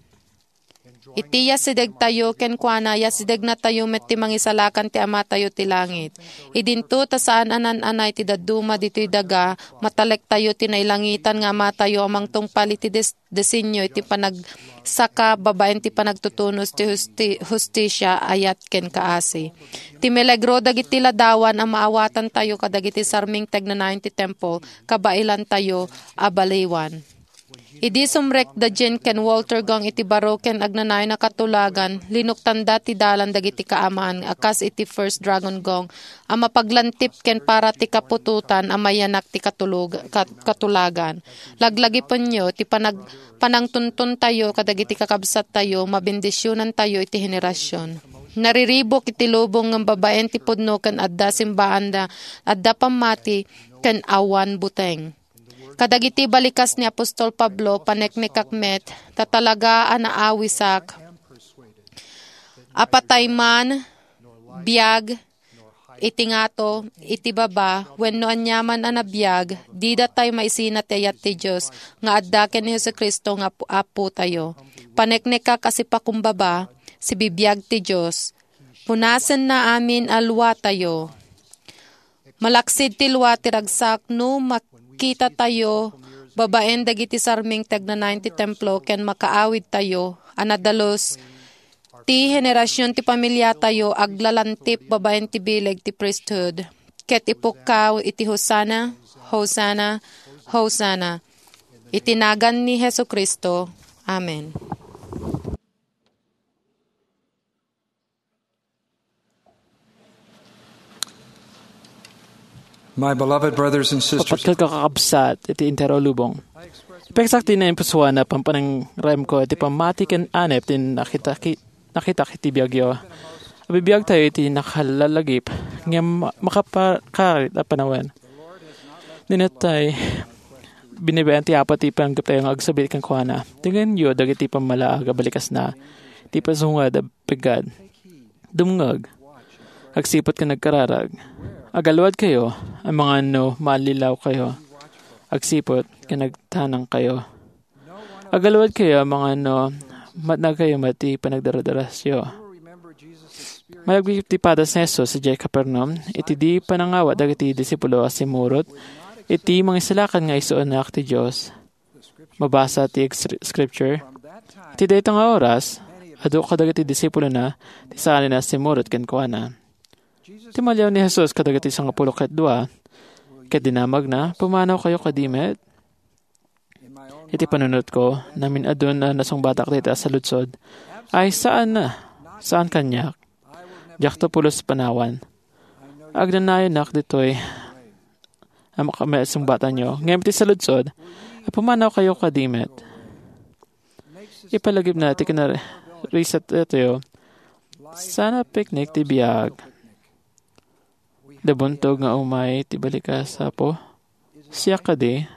Iti yasidegtayo kenkuana, yasidegnatayo met ti mangisalakan ti Amatayo ti langit. Idinto ta saan a nan-anay ti dadduma ditoy daga, matalektayo ti nailangitan nga Amatayo a mangtungpal iti des-, designio iti panagsaka babaen ti panagtutunos ti husti-, hustisia, ayat ken kaasi. Ti milagro dagiti ladawan a maawatantayo kadagiti sarming ti agnanayon ti templo, kabailantayo a baliwan. Idi sumrekda Jean ken Walter Gong iti baro ken agnanayon a katulagan, linuktanda ti dalan dagiti kaamaan a kas iti First Dragon Gong a mapaglantip ken para ti kaputotan a mayanak ti katulog-, kat-, katulagan. Laglagipenyo ti panag-, panangtuntuntayo kadagiti kakabsattayo, mabendisionantayo iti henerasion. Nariribuk iti lubong ngem babaen ti pudno ken adda simbaanda, adda pammati ken awan buteng. Kadagiti balikas ni apostol Pablo, paneknekak met, ta talaga a naawisak. Apatay man, biag, iti ngato, iti baba, wenno aniaman a nabiag, dida tay maisina ti ayat ti Dios nga adda ken ni Jesu-Cristo nga Apo-, Apotayo. Paneknekak a sipakumbaba, sibibiag ti Dios. Punasenna amin a luatayo. Malaksid ti lua ti ragsak no makitatayo babaen dagiti sarming ti agnanayon ti templo ken makaawidtayo a nadalus ti henerasion ti pamiliatayo aglalantip babaen ti bileg ti priesthood ket ipukkaw iti Hosanna, Hosanna, Hosanna. Iti nagan ni Jesu-Cristo. Amen. My beloved brothers and sisters, Kapatkat kakabsat iti entero lubong. Ipeksak ti naimpusuan a pampanangrayamko iti pammati ken anep ti nakita-, ki-, nakitak iti biagyo. Abibiag tayo iti nakalalagip ngem ma-, makapakarit a panawen. Ninatay, binibayan ti Apo ti panggep tayo nga agsubli kenkuana. Tengngenyo dagiti pammalaag a balikasna, ti pasungad a peggad. Dumngeg. Agsiput ken agkararag. Agaluad kayo, amangan no mallilaw kayo. Agsiput ken agtanang kayo. Agaluad kayo, amangan no matnag kayo met ti panagdaradarasyo. Malagip ti padas ni Jesus idiay Capernaum, iti di panangawat dagiti disipulo a simurot iti mangisalakan nga isuanak ti Dios. Mabasa ti ex-, scripture. Iti dayta nga oras, adu kadagiti disipulona ti saanen a simurot kenkuana. Ti maliaw ni Jesus kadagiti sangapulo ket dua, ket dinamagna, "Pumanaw kayo kadi met?" Iti panunotko, namin-adun a nasungbatak dayta a saludsod. Ay, saan na. Saan kaniak. Diakto pulos panawan. Agnanayonak ditoy a makasungbatanyo. Ngem iti saludsod, a pumanaw kayo kadi met. Ipalagipna ti kinarisat datayo. Sana picnic ti biag. Nabuntog nga umay ti balikas, Apo. Siak kadi.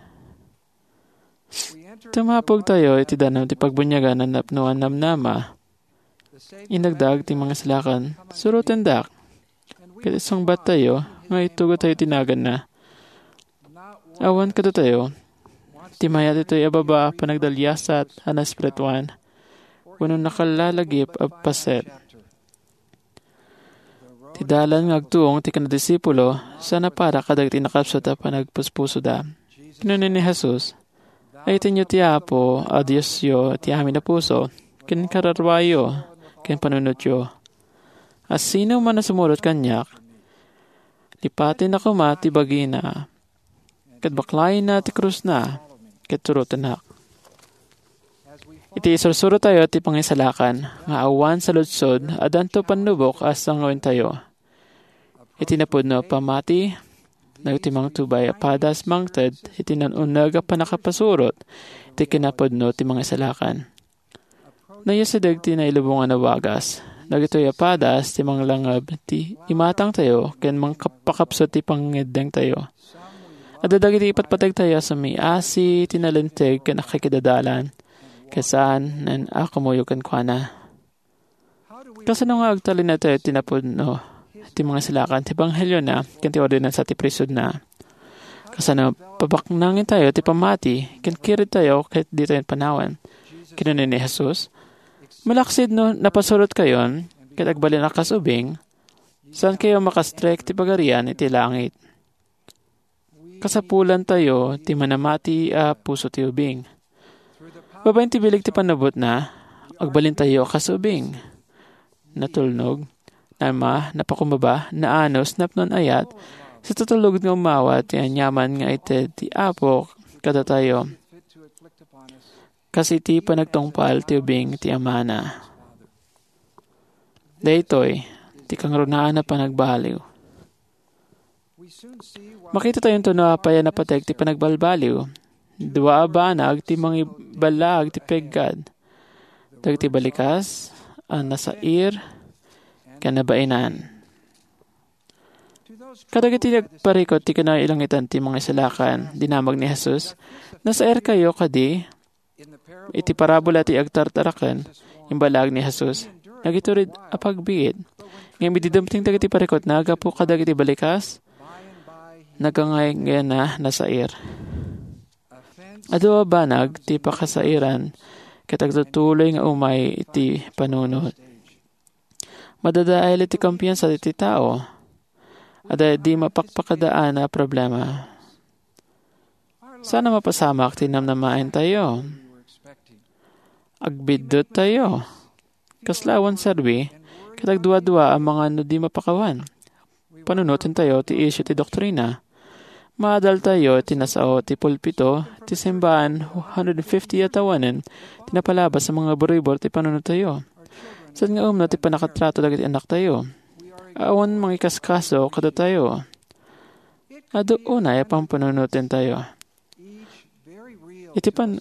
Tumapog tayo iti danum ti pagbuniagan a napno a namnama. Inagdaag ti mangisalakan, surotendak. Ket isungbat tayo nga itugot tayo ti naganna. Awan kadatayo ti mayat itoy a baba a panagdaliasat a naespirituan wenno nakallalagip a paset. Ti dalan nga agtuong ti kinadisipulo, saan a para kadagiti nakapsut a panagpuspusoda. Kinuna ni Jesus, "Ayatennyo ti Apo a Diosyo iti amin a puso, ken kararwayo, ken panunotyo. A sino man a sumurot kaniak, lipatenna koma ti bagina, ket baklayenna ti krusna, ket turotennak." Iti isursurotayo ti pangisalakan nga awan saludsod, addanto pannubok a sangawentayo. Iti napudno a pammati, dagiti mangtubay a padas mangted iti nan-uneg a pannakapasurot iti kinapudno ti mangisalakan. Nayasideg ti nailubongan a wagas. Dagitoy a padas ti manglangeb ti imatangtayo ken mangkap-, pakapsut ti pangngeddengtayo. Adda dagiti ipatpategtayo a sumiasi ti nalinteg ken akikidadalan, ket saan a kumuyog kenkuana. Kasano nga agtalinaedtayo ti napudno ti mangisalakan ti ebangheliona ken ti ordinansa ti priesthoodna? Kasano pabaknangentayo ti pammati ken kiredtayo ket ditayo panawen? Kinuna ni Jesus, "Malaksid no napasurotkayon ket agbalin a kas ubing, saankayo makastrek ti Pagarian iti langit." Kasapulantayo ti manamati a puso ti ubing. Babaen ti bileg ti pannubbotna, agbalintayo a kas ubing. Natulnog, naema, napakumbaba, naanus, napnoan ayat, sa tutulod nga umawat ti aniaman nga ited ti Apo kadatayo, kas iti panagtungpal ti ubing ti Amana. Daytoy ti kangrunaan a panagbaliw. Makitatayo no apay a napateg ti panagbalbaliw. Dua a banag ti mangiballaag ti peggad. Dagiti balikas a nasair ken nabaenan. Kadagiti nagparikut ti kinailangitan ti mangisalakan, dinamag ni Jesus, "Nasairkayo kadi?" Iti parabola ti agtartaraken, imballaag ni Jesus, nagitured a pagbiit. Ngem idi dumteng dagiti parikutna gapu kadagiti balikas, nagangayngayna nasair. Adu a banag ti pakasairan ket agtutuloy nga umay iti panunot. Madadael iti kumpiansa iti tao. Adda idi mapakpakadaan a problema. Saan a mapasamak ti namnamaentayo. Agbidduttayo. Kasla awan serbi, ket agduadua a mangan no di mapakawan. Panunotentayo ti isyu ti doktrina. Maadaltayo ti nasao ti pulpito, ti simbaan, one hundred fifty a tawanen, ti napalabas a mga buribor ti panunottayo. Saan nga umno ti pannakatrato dagiti annaktayo. Awan mangikaskaso kadatayo. Adu unay a pampanunotentayo. Iti pan-,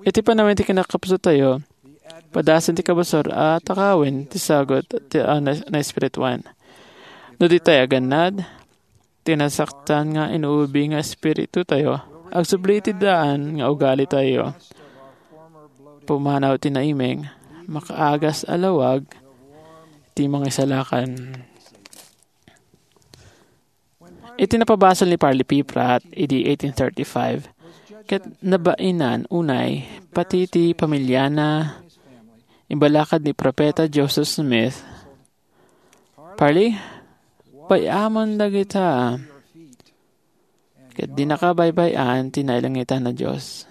iti panawen ti kinakapsutayo, padasen ti kabusor a takawen ti sagut ti, a, na, naespirituan. No di tay agannad, ti nasaktan nga inuubi nga espiritutayo, agsubli iti daan nga ugalitayo. Pumanaw ti naimeng, makaagas a lawag ti mangisalakan. Iti napabasol ni Parley P. Pratt idi eighteen thirty-five, ket nabaenan unay pati ti pamiliana, imbalakad ni Profeta Joseph Smith, "Parley, bay-amon dagita, ket dinaka baybay-an ti nailangitan a Dios."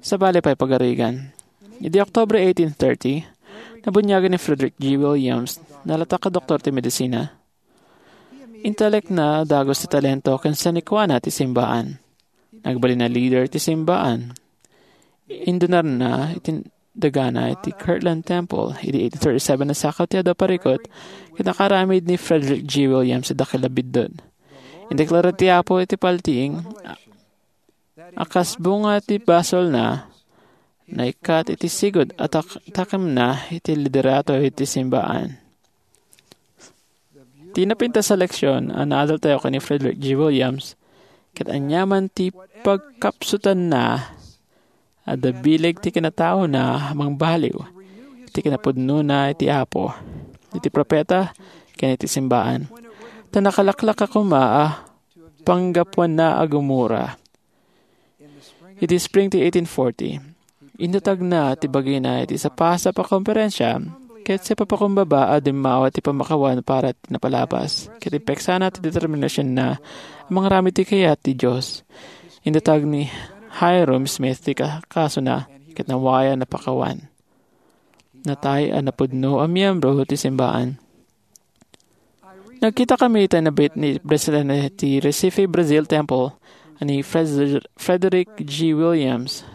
Sabali pay pagarigan. Idi Oktubre eighteen thirty, nabuniagan ni Frederick G. Williams, nalatak a doktor ti medisina. Intalekna dagus ti talento ken sanikuana ti simbaan. Nagbalin a leader ti simbaan. Indunarna iti dagana iti Kirtland Temple idi eighteen thirty-seven a sakaw ti adu a parikut ket nakaramid ni Frederick G. Williams iti dakkel a biddut. Indeklara ti Apo iti paltiing a kas bunga ti basolna, naikkat iti sigud a tak-, takemna iti liderato iti simbaan. Ti napintas a leksion a naadaltayo ken ni Frederick G. Williams, ket aniaman ti pagkapsutanna, adda bileg ti kinataona a mangbaliw iti kinapudnona iti Apo, iti profeta, ken iti simbaan. Ta nakalaklak a koma a panggapuanna a gumura. Iti spring ti eighteen forty, indatagna ti bagina iti sapasap a konferensia ket sipapakumbaba a dimmawa ti pammakawan para ti napalabas ket impeksana ti determinasionna a mangaramid ti kayat ti Dios. Indatag ni Hyrum Smith ti ka-, kasona ket nawayan a pakawan. Natay a napudno a miyembro ti simbaan. Nagkita kami iti nabit ni Presidente ti Recife Brazil Temple a ni Fred-, Frederick G. Williams.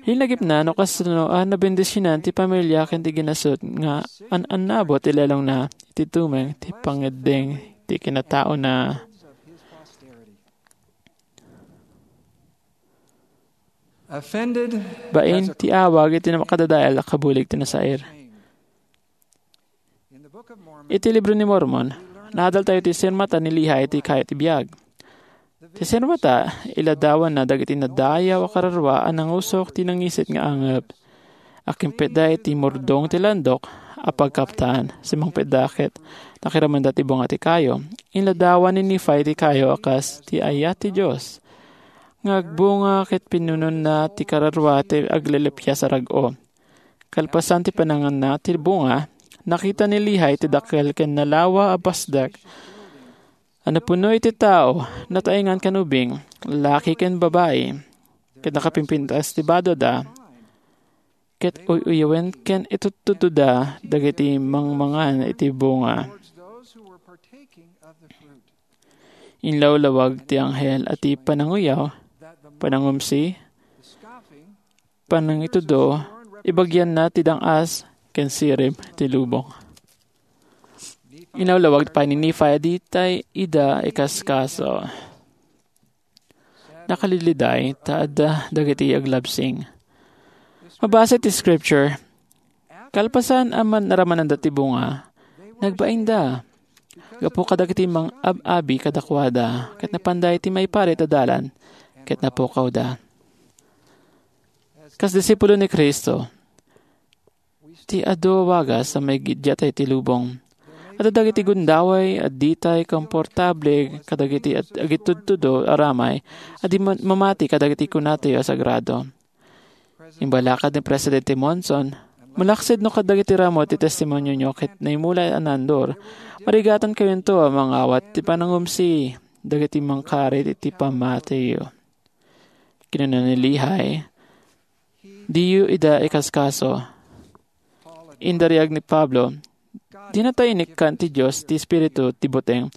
Linagipna no kasano a nabendisionan ti pamilia ken ti ginasut nga an-annabot ti lelongna iti tumeng ti pangeddeng ti kinataona. Offended Bain as a ti awag iti makadadael a kabulig ti nasair. In the Book of Mormon, Iti Libro ni Mormon, naadaltayo ti sirmata ni Lehi iti kayo ti biag. Ti sirmata, iladawanna dagiti nadayaw a kararua a nangusok ti nangisit nga angep. Akimpetda iti murdong ti landok a pagkaptan, simmangpetda ket nakiramenda ti bunga ti kayo. Inladawan ni Nephi ti kayo a kas ti ayat ti Dios nga agbunga ket pinunonna ti kararua ti aglilipias a rag-o. Kalpasan ti pananganna ti bunga, nakita ni Lehi ti dakkel ken nalawa a pasdek a napuno iti tao, nataengan ken ubing, lalaki ken babai, ket nakapimpintas ti badoda, ket uy-uyawen ken itudtudtoda dagiti mangmangan iti bunga. Inlawlawag ti anghel a ti pananguyaw, panangumsi, panangitudo, ibagianna ti dang-as ken sirib ti lubong. Inawlawag pay ni Nephi a ditay ida ikaskaso. Nakaliliday ta adda dagiti aglabsing. Mabasa ti scripture, kalpasan a man-, naramananda ti bunga, nagbainda gapu kadagiti mang-ab-abi kadakuada, ket napanda iti maiparit a dalan, ket napukawda. Kas disipulo ni Cristo, ti adu a wagas a maigiddiat iti lubong. Adda dagiti gundaway a ditay komportable kadagiti ag-, agitudtudo a ramay a di ma-, mamati kadagiti kunatayo a sagrado. Imbalakad ni Presidente Monson, malaksid no kadagiti ramo ti testimonionyo ket naimulay a naandur, marigaton kayonto a mangawat ti panangumsi dagiti mangkarit iti pamatiyo. Kinuna ni Lehi, "Diyo ida ikaskaso." Indariag ni Pablo, "Dinata inikkan ti Dios ti Espiritu ti buteng.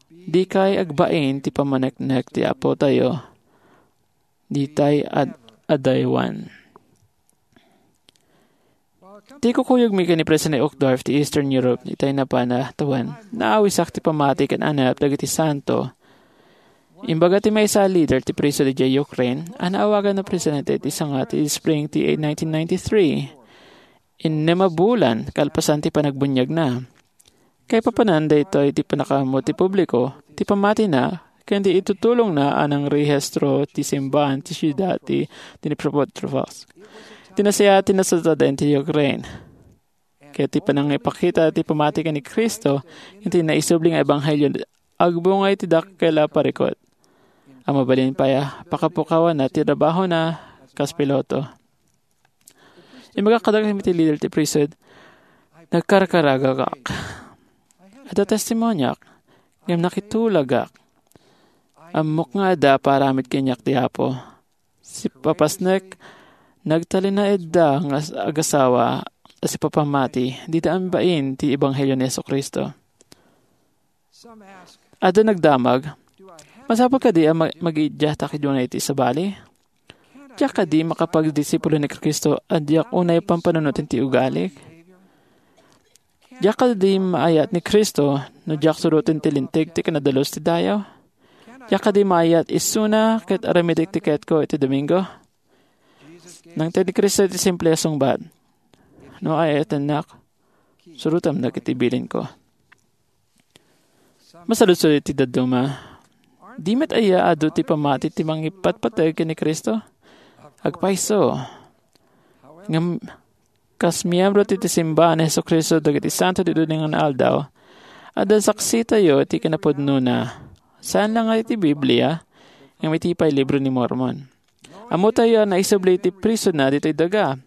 Dikay agbain ti pammaneknek ti Apotayo. Ditay ad-, adaywan." Ti kukuyogmi ken ni President Uchtdorf ti Eastern Europe, itay napan a tawen, naawisak ti pammati ken anep dagiti santo. Imbaga ti maysa a leader ti priesthood idiay Ukraine a naawagan a presidente iti sanga ti spring ti nineteen ninety-three, innem a bulan kalpasan ti panagbuniagna. Kaipapanan daytoy ti pannakaammo ti publiko ti pammatina ken ti itutulongna a nangrehistro ti simbaan ti siudad ti Dnipropetrovsk. Ti nasayaat ti nasatadem ti Ukraine. Ket ti panangipakita ti pammati ken ni Cristo ken ti naisubli nga ebanghelio agbunga iti dakkel a parikut a mabalin pay a pakapukawanna ti trabahona kas piloto. Imbagak kadagiti leader ti priesthood, nagkarkaragagak. Adda testimoniak, ngem nakitulagak. Ammok nga adda paramid kaniak ti Apo. Sipapasnek, nagtalinaedda nga as-, agasawa a sipapammati, dida ambain ti ebanghelio ni Jesu-Cristo. Adda nagdamag, "Masapul kadi a ma-, magiiddiatak idiay iti sabali? Diak kadi makapagdisipulo ni Cristo a diak unay pampanunoten ti ugalik? Diak kadi maayat ni Cristo no diak suroten ti linteg ti kinadalus ti dayaw? Diak kadi maayat isuna ket aramidek ti kayatko iti Domingo?" Nangted ni Cristo iti simple a sungbat, "No aayatennak, surotem dagiti bilinko." Masaludsod iti dadduma, "Di met aya adu ti pammati ti mangipatpateg ken ni Cristo?" Agpayso. Ngem kas miyembro ti, ti simbaan ni Jesu-Cristo dagiti santo ti duding nga aldaw, Adda saksitayo iti kinapudnona. Saan la nga iti Biblia, ngem iti pay Libro ni Mormon. Ammotayo a naisubli iti prisonna ditoy daga.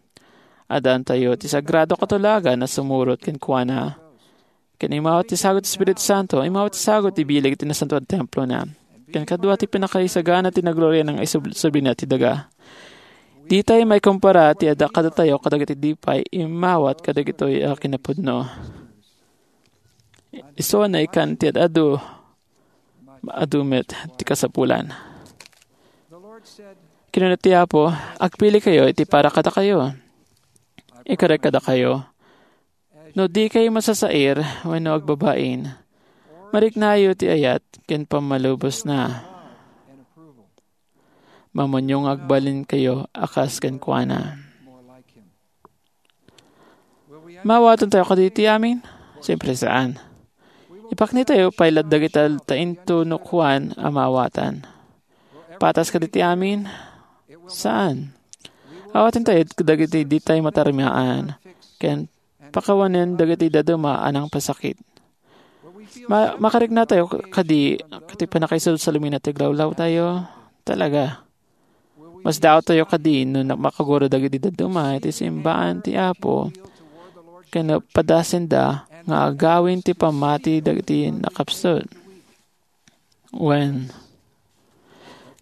Addaantayo ti sagrado a katulagan a sumurot kenkuana. Ken immawat ti sagut ti Espiritu Santo, immawat ti sagut ti bileg iti nasantoan a templona. Ken kadua ti pinakaisagana ti nagloria nga isub-, sublina ti daga. Ditay maikumpara ti adda kadatayo kadagiti di pay immawat kadagitoy a kinapudno. Isu a naikan ti ad-adu, adu met ti kasapulan. Kinuna ti Apo, "Agpilikayo iti para kadakayo. Ikarek kadakayo, no dikay masasair wenno agbabain, mariknayo ti ayat ken pammalubosna. Mamunyo nga agbalinkayo a kas kenkuana." Maawatan tayo kadi iti amin? Siyempre, saan. Ipakni tayo pay latta dagiti tainto no kuan a maawatan. Patas kadi iti amin? Saan. Awaten tayo dagiti di tayo matarmaan, ken pakawanen dagiti dadduma a nangpasakit. Ma-, makarikna tayo kadi, kadi pannakaisubli ti aglawlaw tayo? Talaga. Masdaawtayo kadi no na-, makagura dagiti dadduma iti simbaan ti Apo, ken padasenda nga agawid ti pammati dagiti nakapsut. Wen,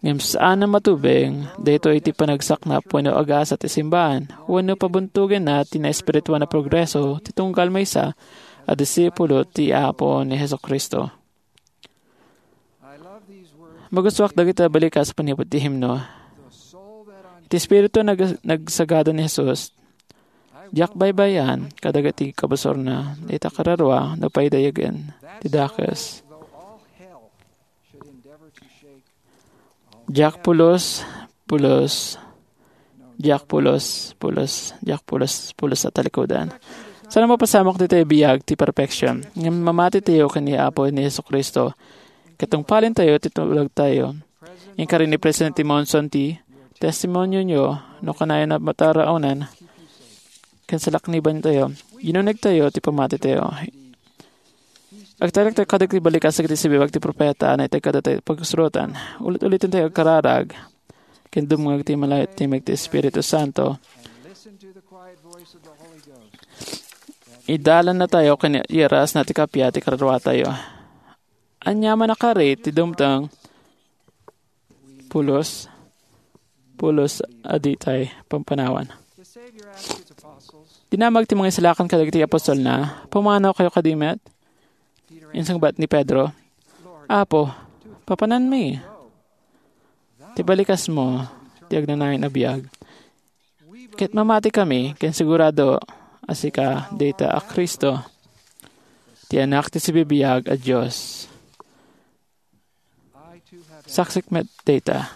ngem saan a matubeng daytoy iti panagsaknap wenno agasa ti simbaan, wenno pabuntogenna ti naespirituan a progreso ti tunggal maysa a disipulo ti Apo ni Jesu-Cristo. Magustuak dagiti balikas a panipud ti himno. Iti Espiritu nag-, nagsagada ni Jesus, diak baybay-an kadagiti kabusorna, dayta kararua no paidayagen ti dakes. Diak pulos, pulos, diak pulos, pulos, diak pulos, pulos a talikudan. Saan a mapasamak ditoy biag ti perfection. Ngem mamati tayo ken ni Apo ni Jesu-Cristo. Ket tungpalen tayo ti tulagtayo. Inkari ni Presidente Monson ti testimonio nyo no kanayon a mataraonan ken salakniban tayo. Inuneg tayo ti pammati tayo. Agtalek tayo kadagiti balikas dagiti sibibiag ti profeta a naiteg kadatayo pagsurotan. Ulit-uliten tayo agkararag. Ken dumngeg ti malay ti Espiritu Santo. Idalanna tayo ken iarasna ti kappia ti kararua tayo. Ania man a kari ti dumteng, pulos, pulos a ditay pampanawan. Dinamag ti mangisalakan kadagiti apostolna, "Pumanaw kayo kadi met?" Insungbat ni Pedro, "Apo, papananmi. Ti balikasmo, ti agnanayon a biag. Ket mamati kami, ken sigurado a sika dayta a Cristo, ti Anak ti sibibiag a Dios." Saksik met dayta.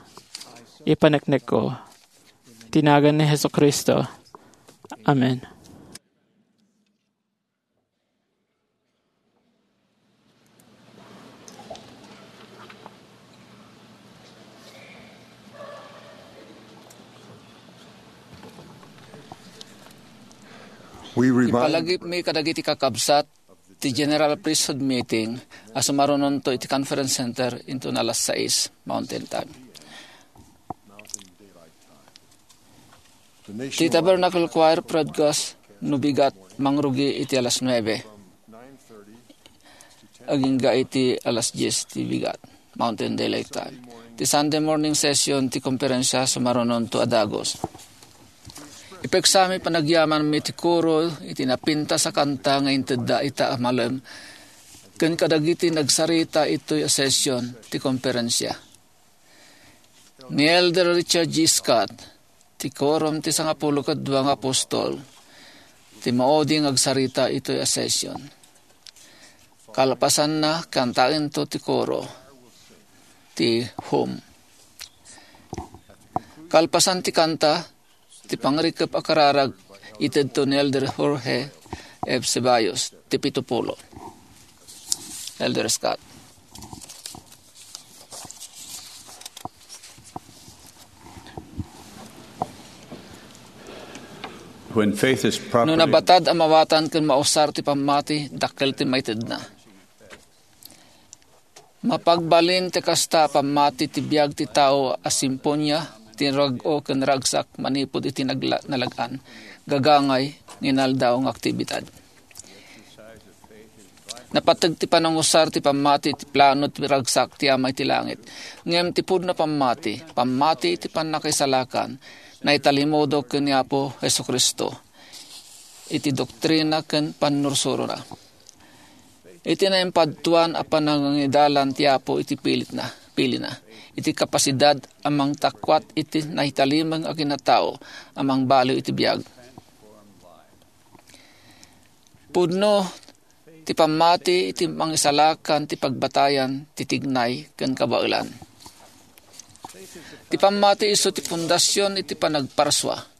Ipaneknekko. Iti nagan ni Jesu-Cristo. Amen. We remind Ipalagipmi kadagiti kakabsat ti General Priesthood Meeting a sumarunonto iti Conference Center inton alas sais Mountain Time. Ti Tabernacle Choir Broadcast no bigat mangrugi iti alas nuebe. Agingga iti alas dies ti bigat, Mountain Daylight Time. Ti Sunday morning session ti komperensia sumarunonto a dagus. Ipeksami panagyamanmi ti koro iti napintas a kanta nga intedda ita a malem ken kadagiti nagsarita itoy a session ti komperensia. Ni Elder Richard G. Scott, ti Quorum ti Sangapulo ket Dua nga Apostol, ti maudi nga agsarita itoy a session. Kalpasanna, kantaento ti koro, ti hymn. Kalpasan ti kanta, ti pangrikep a kararag, itedto ni Elder Jorge F. Ceballos, ti pito pulo. Elder Scott. When faith is No properly nabatad a mawatan ken mausar ti pammati, dakkel ti maitedna. Mapagbalin ti kasta a pammati ti biag ti tao a simponia, ti rag-o ken ragsak manipud iti nagla-, nalag-an, gagangay nga inaldaw nga aktibidad. Napateg ti panangusar ti pammati iti plano ti ragsak ti Ama iti langit. Ngem ti pudno a pammati, pammati iti pannakaisalakan, naitalimodo ken ni Apo Jesu-Cristo iti doktrina ken pannursurona. Iti naimpadtuan a panangidalan ti Apo iti pilitna, pilina, iti kapasidad a mangtakuat iti naitalimeng a kinatao a mangbaliw iti biag. Pudno ti pammati iti mangisalakan ti pagbatayan ti tignay ken kabaelan. Ti pammati isu ti pundasion iti panagparsua.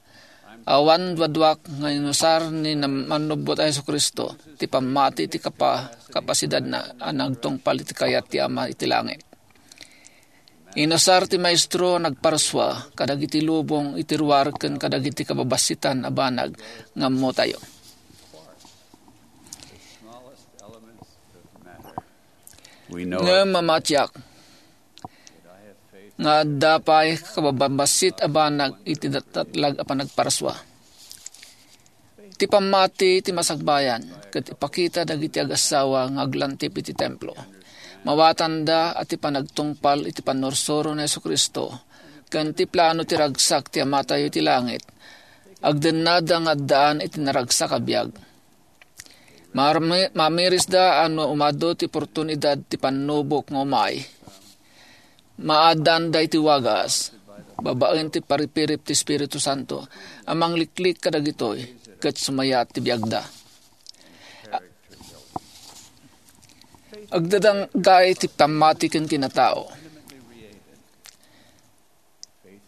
Awan duaduak nga inusar ni nam-, Mannubbot a Jesu-Cristo ti pammati iti kapa-, kapasidadna a nagtungpal iti kayat ti Ama iti langit. Inusar ti Maestro a nagparsua kadagiti lubong iti ruar ken kadagiti kababassitan a banag nga ammotayo. We know Ngem mamatiak nga adda pay kabababassit a banag iti natatlag a panagparsua. Ti pammati ti masakbayan ket ipakita dagiti agassawa nga aglantip iti templo. Mawatanda a ti panagtungpal iti pannursuro ni Jesu-Cristo ken ti plano ti ragsak ti Amatayo iti langit, agdennada nga addaan iti naragsak a biag. Marmi-, mamirisda a no umadu ti oportunidad ti pannubok nga umay, maadanda iti wagas, babaen ti paripirip ti Espiritu Santo a mangliklik kadagitoy ket sumayat ti biagda. Agdadangay ti pammati ken kinatao.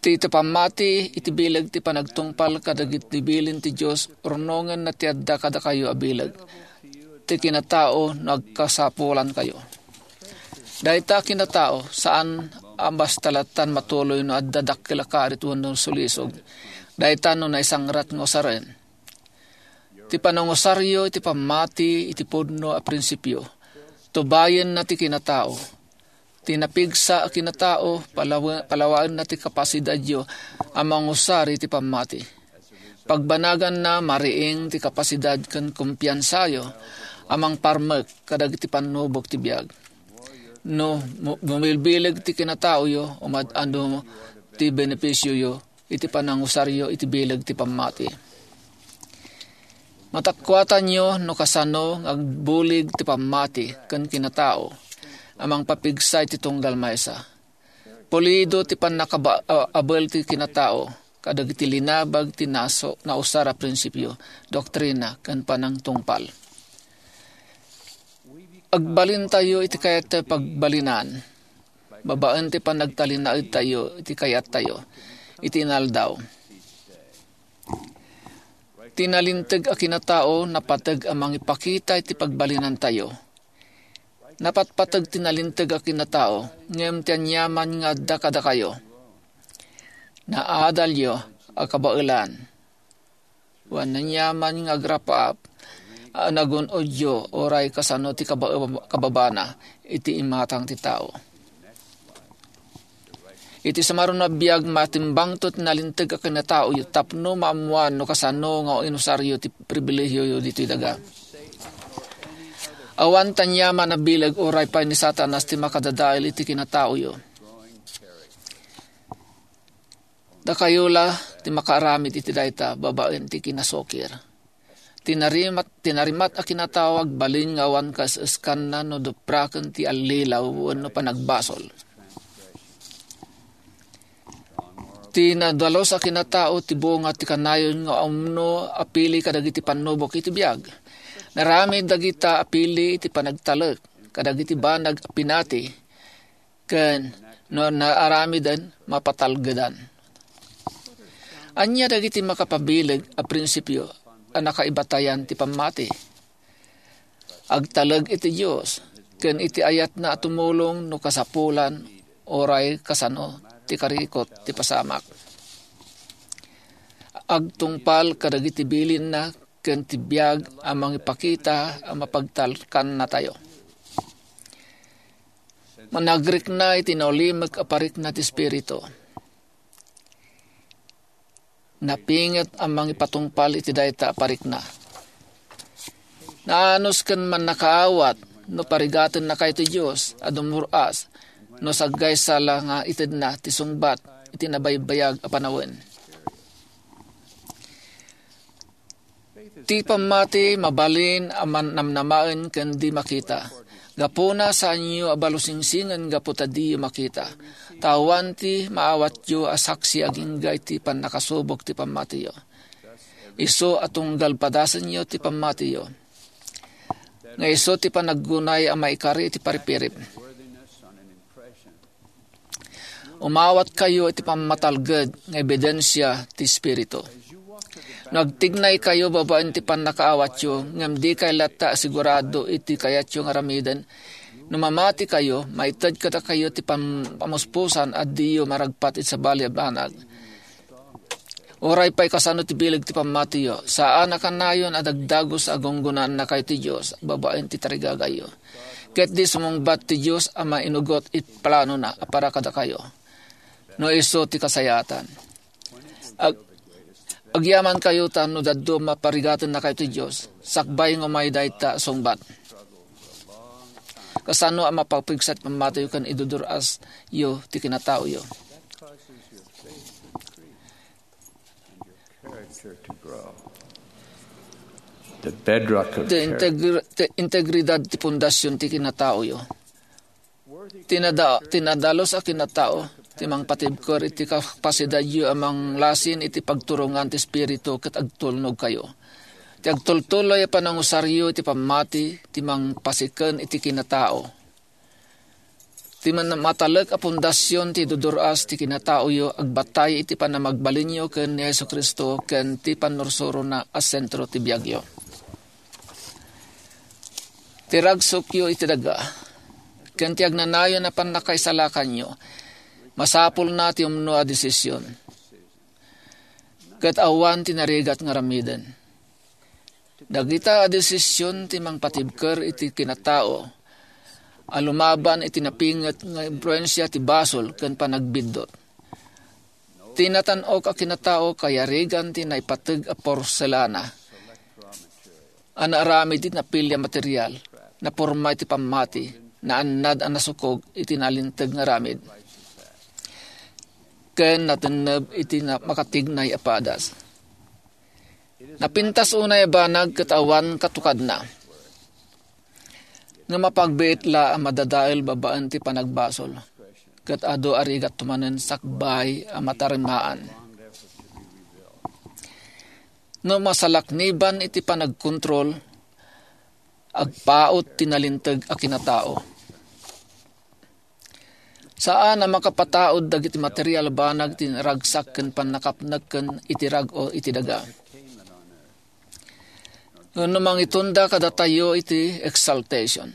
Ti, ti pammati iti bileg ti panagtungpal kadagiti bilin ti Dios, rurnongenna ti adda kadakayo a bileg ti kinatao no agkasapulankayo. Dayta a kinatao, saan a basta lattan matuloy no adda dakkel a karit wenno sulisog. Dayta no naisangrat nga usaren. Ti panangusaryo iti pammati iti pudno a prinsipio, tubayenna ti kinatao. Ti napigsa a kinatao, palawa-, palawaenna ti kapasidadyo a mangusar iti pammati. Pagbanaganna, mariing ti kapasidad ken kumpiansayo a mangparmek kadagiti pannubok ti biag. No mu-, bumilbileg ti kinataoyo, umad-adu ti benepisioyo iti panangusaryo iti bileg ti pammati. Matakuatanyo no kasano nga agbulig ti pammati ken kinatao a mangpapigsa iti tunggal maysa. Pulido ti pannakaba-, a-, abel ti kinatao kadagiti linabag ti naso-, nausar a prinsipio, doktrina, ken panangtungpal. Agbalintayo iti kayat ti pagbalinan, babaen ti panagtalinaedtayo iti kayattayo iti inaldaw. Ti nalinteg a kinatao napateg a mangipakita iti pagbalinantayo. Napatpateg ti nalinteg a kinatao, ngem ti aniaman nga adda kadakayo, naadalyo a kabaelan, wen aniaman nga agrap-ap a nagun-odyo, uray kasano ti kaba-, kababana iti imatang ti tao. Iti sumaruno a biag, matimbangto ti nalinteg a kinataoyo tapno maammoan no kasano nga inusaryo ti pribilehiyoyo ditoy daga. Awan ti aniaman a bileg uray pay ni Satanas ti makadadael iti kinataoyo. Dakayo la ti makaaramid iti dayta babaen ti kinasukir. Ti narimat, ti narimat a kinatao agbalin nga awan kaes-eskanna no dupraken ti allilaw wenno panagbasol. Ti nadalus a kinatao ti bunga ti kanayon nga umno apili kadagiti pannubok iti biag. Naramid dagita apili iti panagtalek kadagiti banag a pinati ken no naaramiden, mapatalgedan. Ania dagiti makapabileg a prinsipio a nakaibatayan ti pammati? Agtalek iti Dios ken iti ayatna a tumulong no kasapulan uray kasano ti karikot ti pasamak. Agtungpal kadagiti bilinna ken ti biag a mangipakita a mapagtalkannatayo. Managrikna iti naulimek a parikna ti Espiritu. Napinget a mangipatungpal iti dayta a parikna. Naanus ken mannakaawat no parigatennakayo ti Dios a dumur-as no saggaysa la nga itedna ti sungbat iti nabaybayag a panawen. Ti pammati mabalin a mannamnamaen ken di makita. Gapuna, saanyo a balusingsingen gapu ta diyo makita. Ta awan ti maawatyo a saksi agingga iti pannakasubok ti pammatiyo. Isu a tunggal padasenyo ti pammatiyo. Nga isu ti panaggunay a maikari iti paripirip. Umawatkayo iti pammatalged nga ebidensia ti Espiritu. No agtignaykayo babaen ti pannakaawatyo, ngem dikay latta a sigurado iti kayatyo nga aramiden, no mamatikayo, maited kadakayo ti pam-, pamuspusan a diyo maragpat iti sabali a banag. Uray pay kasano ti bileg ti pammatiyo, saan a kanayon a dagdagus a gunggonaannakayo ti Dios babaen ti tarigagayo. Ket di sumungbat ti Dios a mainugot iti planona a para kadakayo, no isu ti kasayaatan. Ag-, agyamankayo ta no dadduma, parigatennakayo ti Dios, sakbay nga umay dayta a sungbat. Kasano a mapapigsa ti pammatiyo ken idudur-asyo ti kinataoyo? Character to grow. The bedrock of Ti character. integr-, ti integridad ti pundasyon ti kinataoyo. Ti nada-, ti nadalus a kinatao ti mangpatibker iti kapasidadyo a manglasin iti pagturongan ti Espiritu ket agtulnogkayo. Ti agtultuloy a panangusaryo iti pammati ti mangpasiken iti kinatao. Ti man-, matalek a pundasyon ti idudur-as ti kinataoyo agbatay iti panamagbalinyo ken ni Jesu-Cristo ken ti pannursurona a sentro ti biagyo. Ti ragsukyo iti daga ken ti agnanayon a pannakaisalakanyo, masapulna ti umno a desisyon. Ket awan ti narigat nga aramiden. Dagita a desisyon ti mangpatibker iti kinatao a lumaban iti napinget nga impluensia ti basol ken panagbiddut. Ti natan-ok a kinatao kayarigan ti naipateg a porselana a naaramid iti napili a material, naporma iti pammati, naannad a nasukog iti nalinteg nga aramid, ken natenneb iti na-, makatignay a padas. Napintas unay a banag ket awan katukadna. Nga mapagbiit la a madadael babaen ti panagbasol, ket adu a rigat manen sakbay a matarimaan. No masalakniban iti panagkontrol, agpaut ti nalinteg a kinatao. Saan a makapataud dagiti material a banag ti naragsak ken pannakapnek ken iti rag-o iti daga. Wenno mangitunda kadatayo iti exaltation,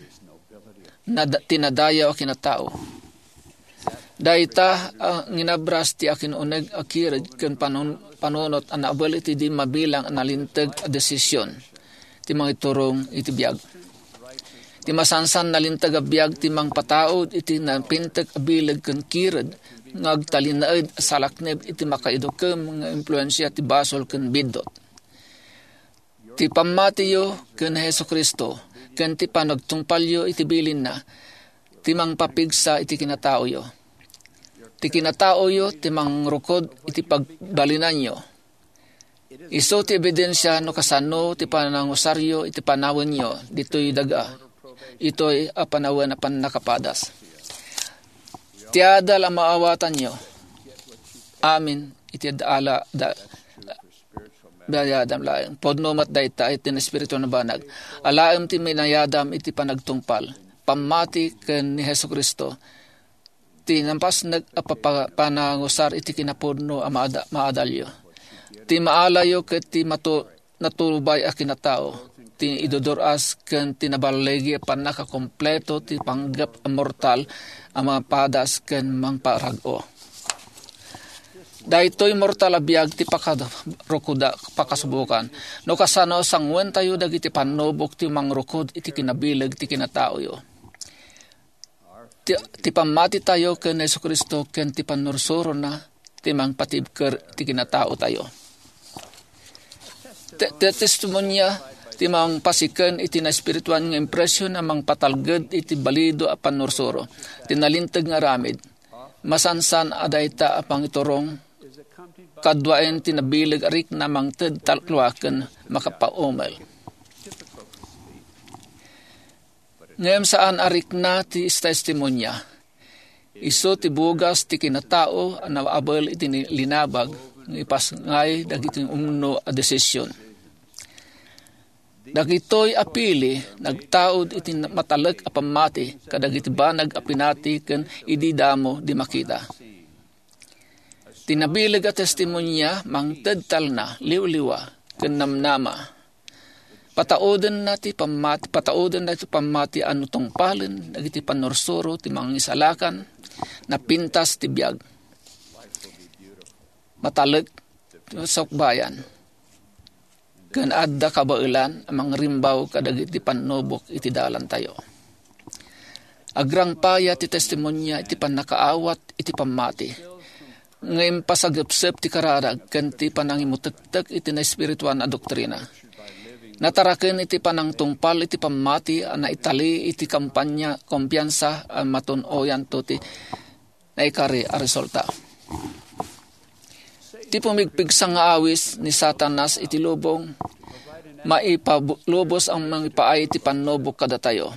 nad-, ti nadayaw a kinatao. Dayta a nginabras ti akin-uneg a kired ken panon-, panunot a naabel iti di mabilang a nalinteg a desisyon ti mangiturong iti biag. Ti masansan nalinteg a biag ti mangpataud iti napintek a bileg ken kired nga agtalinaed a salaknib iti makaidukem nga impluensia ti basol ken biddut. Ti pammatiyo ken Jesu-Cristo ken ti panagtungpalyo iti bilinna ti mangpapigsa iti kinataoyo. Ti kinataoyo ti mangrukod iti pagbalinanyo. Isu ti ebidensia no kasano ti panangusaryo iti panawenyo ditoy daga, itoy a panawen a pannakapadas. Ti adal a maawatanyo, amin iti ala da, dayadam laeng. Pudno met dayta iti Espiritu a Banag. Alaem ti minayadam iti panagtungpal, pammati ken ni Jesu-Cristo, ti napasnek a papa-, panangusar iti kinapudno a maada-, maadalyo. Ti maalayo ket ti matu-, natubay a kinatao, ti idudur-as ken ti naballigi a pannakakompleto ti panggep a mortal a mapadas ken mangparag-o. Daytoy mortal a biag ti pakarukoda-, pakasubokan. No kasano, sanguentayo dagiti pannubok ti mangrukod iti kinabileg ti kinataoyo. Ti, ti pammatitayo ken Jesu-Cristo ken ti pannursurona ti mangpatibker ti kinataotayo. Ti, ti testimonia ti mangpasiken iti naespirituan nga impression a mangpatalged iti balido a pannursuro ti nalinteg nga aramid. Masansan a dayta a pangiturong kaduaen ti nabileg a rikna mangted talklua ken makapaumel. Ngem saan a rikna ti testimonia. Isu ti bugas ti kinatao a naabel iti ni-, linabag nga ipasngay dagiti umno a desisyon. Dagitoy a pili nagtaud iti matalek a pammati kadagiti banag a pinati ken idi damo di makita. Ti nabileg a testimonia mangted talna, liwliwa, ken namnama. Pataudenna ti pammat-, pataudenna ti pammati a no tungpalen dagiti pannursuro ti mangisalakan, napintas ti biag. Matalek ti sukbayan. Ken adda kabaelan a mangrimbaw kadagiti pannubok iti dalantayo. Agrangpaya ti testimonia iti pannakaawat iti pammati. Ngem pasagepsep ti kararag ken ti panangimutektek iti naespirituan a doktrina. Nataraken iti panangtungpal iti pammati a naitali iti kampanya kumpiansa a matun-oyanto ti naikari a resulta. Ti pumigpigsa nga awis ni Satanas iti lubong, maipalubos a mangipaay ti pannubok kadatayo.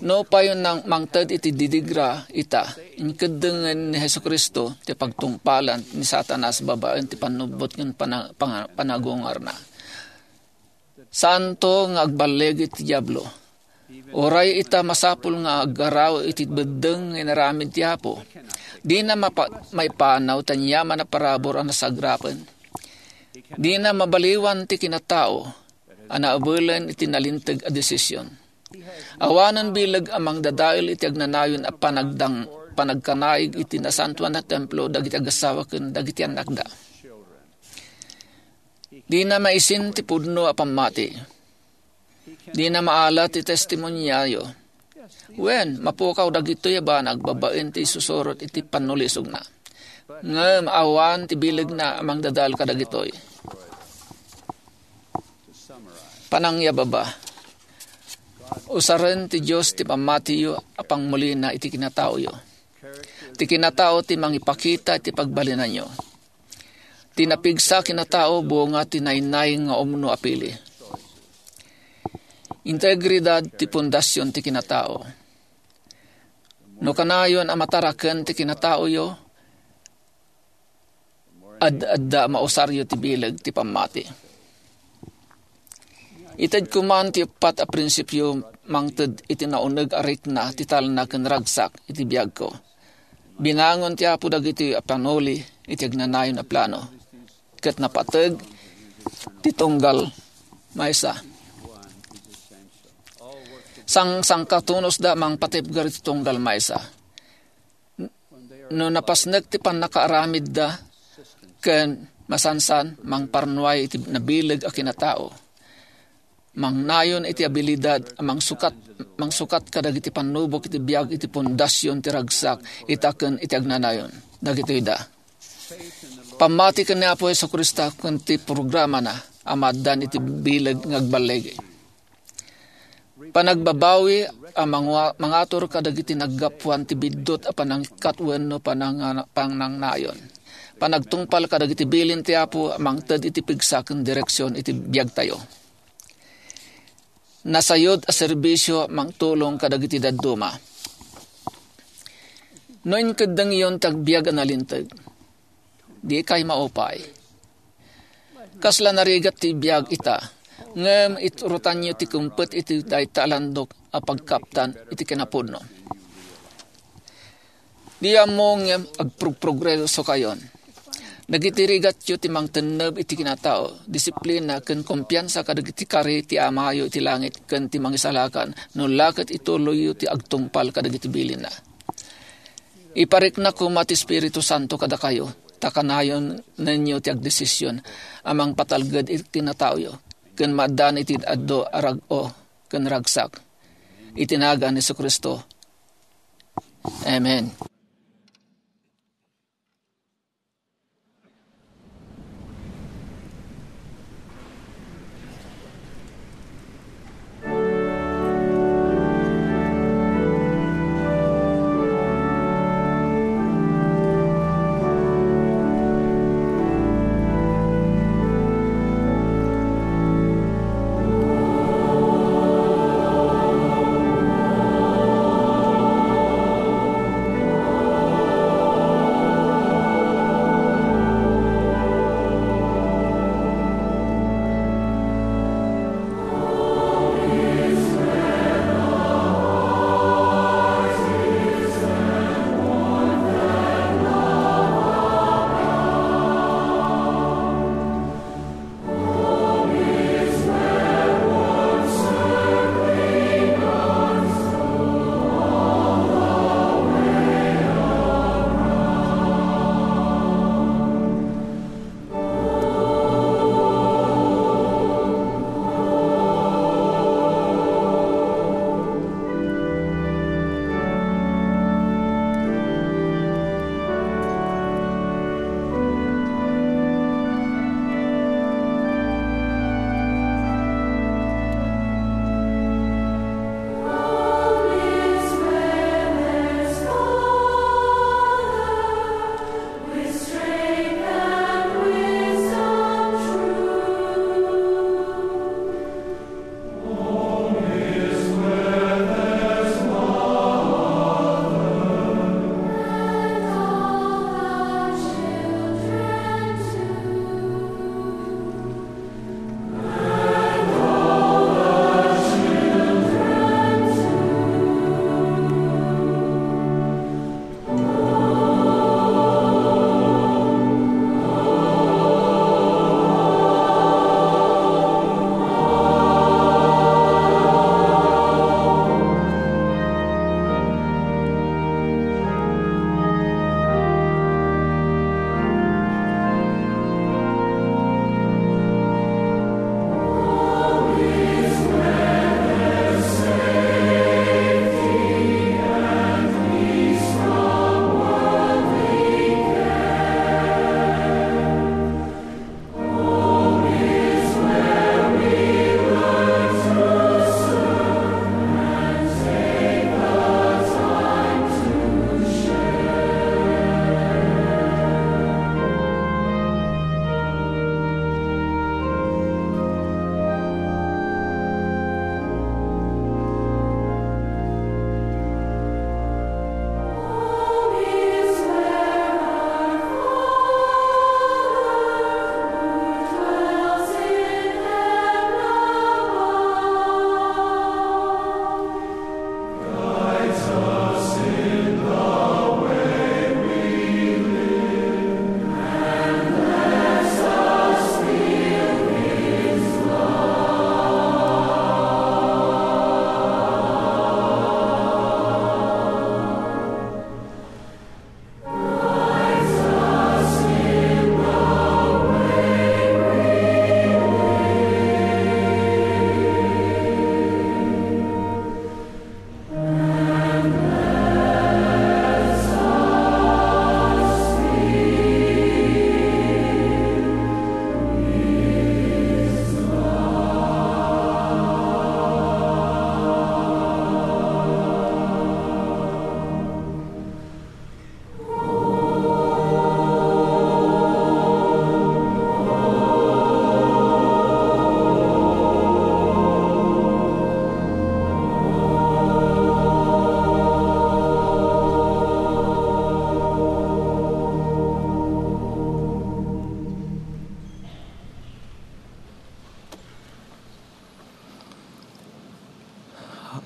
No payo nang mangted iti didigra ita, inkeddengen ni Jesu-Cristo ti pagtungpalan ni Satanas babaen ti pannubot ken pana-, panga-, panagungarna. Saanto nga agballigi ti Diablo. Uray ita masapul nga aggaraw iti beddeng nga inaramid ti Apo. Dina mapa-, maipanaw ti aniaman a parabur a nasagrapen. Dina mabaliwan ti kinatao a naabelen iti nalinteg a desisyon. Awanen bileg a mangdadael iti agnanayon a panagdang-, panagkanaig iti nasantoan a templo dagiti agassawa ken dagiti annakda. Dina maisin ti pudno a pammati. Dina maala ti testimoniayo. Wen, mapukaw dagitoy a banag babaen ti isusurot iti pannulisogna. Ngem awan ti bilegna a mangdadael kadagitoy. Panangyababa. Usaren ti Dios ti pammatiyo a pangmulina iti kinataoyo. Ti kinatao ti mangipakita iti pagbalinanyo. Ti napigsa a kinatao, bunga ti nainnaing nga umno a pili. Integridad ti pundasion ti kinatao. No kanayon a mataraken ti kinataoyo, ad-adda a mausaryo ti bileg ti pammati. Ited koma ti uppat a prinsipio mangted iti nauneg a rikna ti talna ken ragsak iti biagko. Binangon ti Apo dagitoy a panuli iti agnanayon a plano, ket napateg ti tunggal maysa. Sang-, sangkatunosda mangpatibker iti tunggal maysa. No napasnek ti pannakaaramidda ken masansan, mangparnuay iti nabileg a kinatao. Mangnayon iti abilidad a mangsukat, mangsukat kadagiti pannubok iti biag iti pundasion ti ragsak ita ken iti agnanayon. Dagitoyda. Pammati ken ni Apo Jesu-Cristo ken ti programana a maaddan iti bileg nga agballigi. Panagbabawi a mangwa-, mangatur kadagiti naggapuan ti biddut a panangikkat wenno pananga-, panangnayon. Panagtungpal kadagiti bilin ti Apo a mangted iti pigsa ken direksion iti biagtayo. Nasayod a serbisio mangtulong kadagiti dadduma. No inkeddengyon ti agbiag a nalinteg, dikay maupay. Kasla narigat ti biag ita, ngem iturotanyo ti kumpet iti dayta a landok a pagkaptan iti kinapudno. Di ammo ngem agprogresokayon. Dagiti rigatyo ti mangtenneb iti kinatao, disiplina, ken kumpiansa kadagiti kari ti Amayo iti langit ken ti Mangisalakan, no la ket ituloyyo ti agtungpal kadagiti bilinna. Iparikna koma ti Espiritu Santo kadakayo, ta kanayonnenyo ti agdesision a mangpatalged iti kinataoyo, ken maaddan iti adu a rag-o ken ragsak. Iti nagan ni Jesu-Cristo, Amen.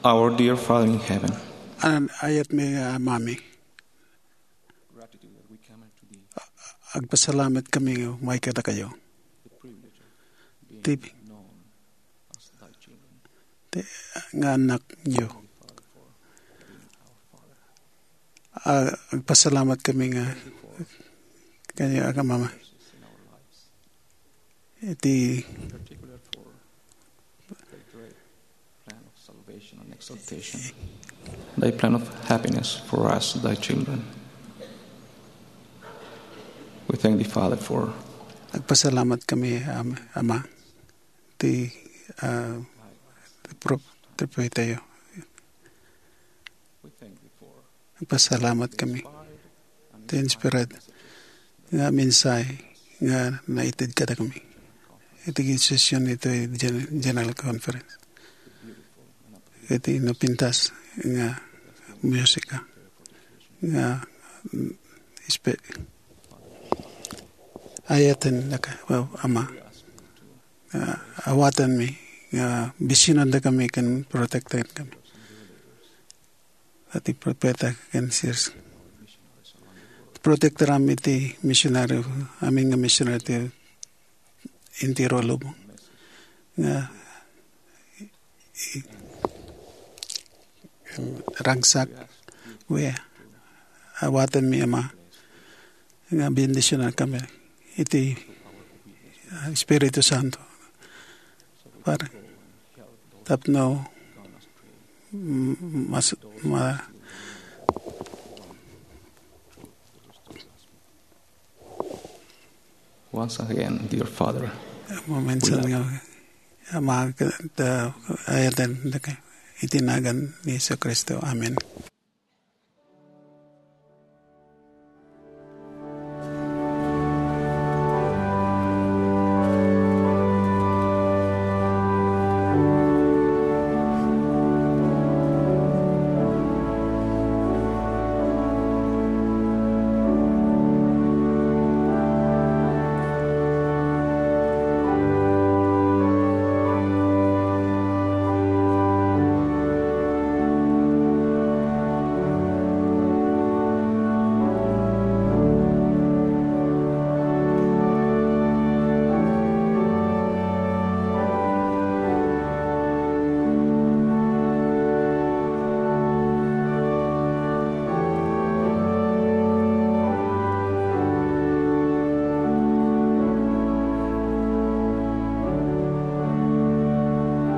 Our dear Father in heaven, An ayat mi nga Amami, gratitude that we come unto thee, agpasalamat kami nga umay kadakayo. The privilege of being Ti-, known as thy children. Ti-, nga anak niyo. Father, for being our Father. Ah, agpasalamat kami nga kaniyo, Amami. In our lives. Iti particular for the great plan of salvation and exaltation. Thy plan of happiness for us, thy children. We thank thee, Father, for Agpasalamat kami, Am-, Ama, ti, ah, ti pro-, ti propetayo. Agpasalamat kami. Ti inspired nga mensahe nga naited kadakami iti session iti Gen-, General Conference. Iti napintas nga musika nga, mm, ispe-, ayaten naka, Ama. Ah, awatanmi nga bisinanda kami ken protektaen kami. Iti propeta ken sirs. Protektaram iti misionaryo, amin nga misionaryo ti entero a lubong. Nga i-, ragsak, we, awatanmi, Ama, nga bendisionan kami iti, ah, Espiritu Santo. Para tapno, mm, mas, ma-, Once again, dear Father, Maminsan we love nga, Ama, ka-, ta-, ayaten, iti nagan ni Jesu-Cristo. Amen.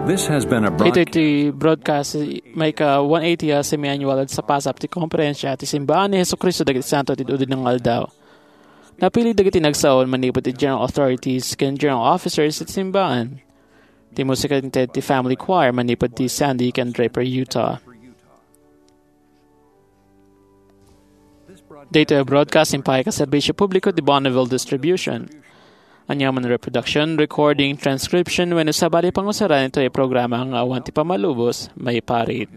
This has been a broad- Itoy ti broadcast, maika one eighty a semi-annual a sapasap ti Konferensya ti Simbaan ni Jesu-Cristo dagiti Santo ti Dudinong Aldaw. Napili dagiti nagsaon manipud ti General Authorities ken General Officers ti Simbaan. Ti musika inted ti Family Choir manipud ti Sandy ken Draper, Utah. Daytoy a broadcast impaaykayo a serbisio publiko ti Bonneville Distribution. Aniaman a reproduction, recording, transcription, wenno sabali a pangusaran daytoy a programa nga awan ti pammalubos, maiparit.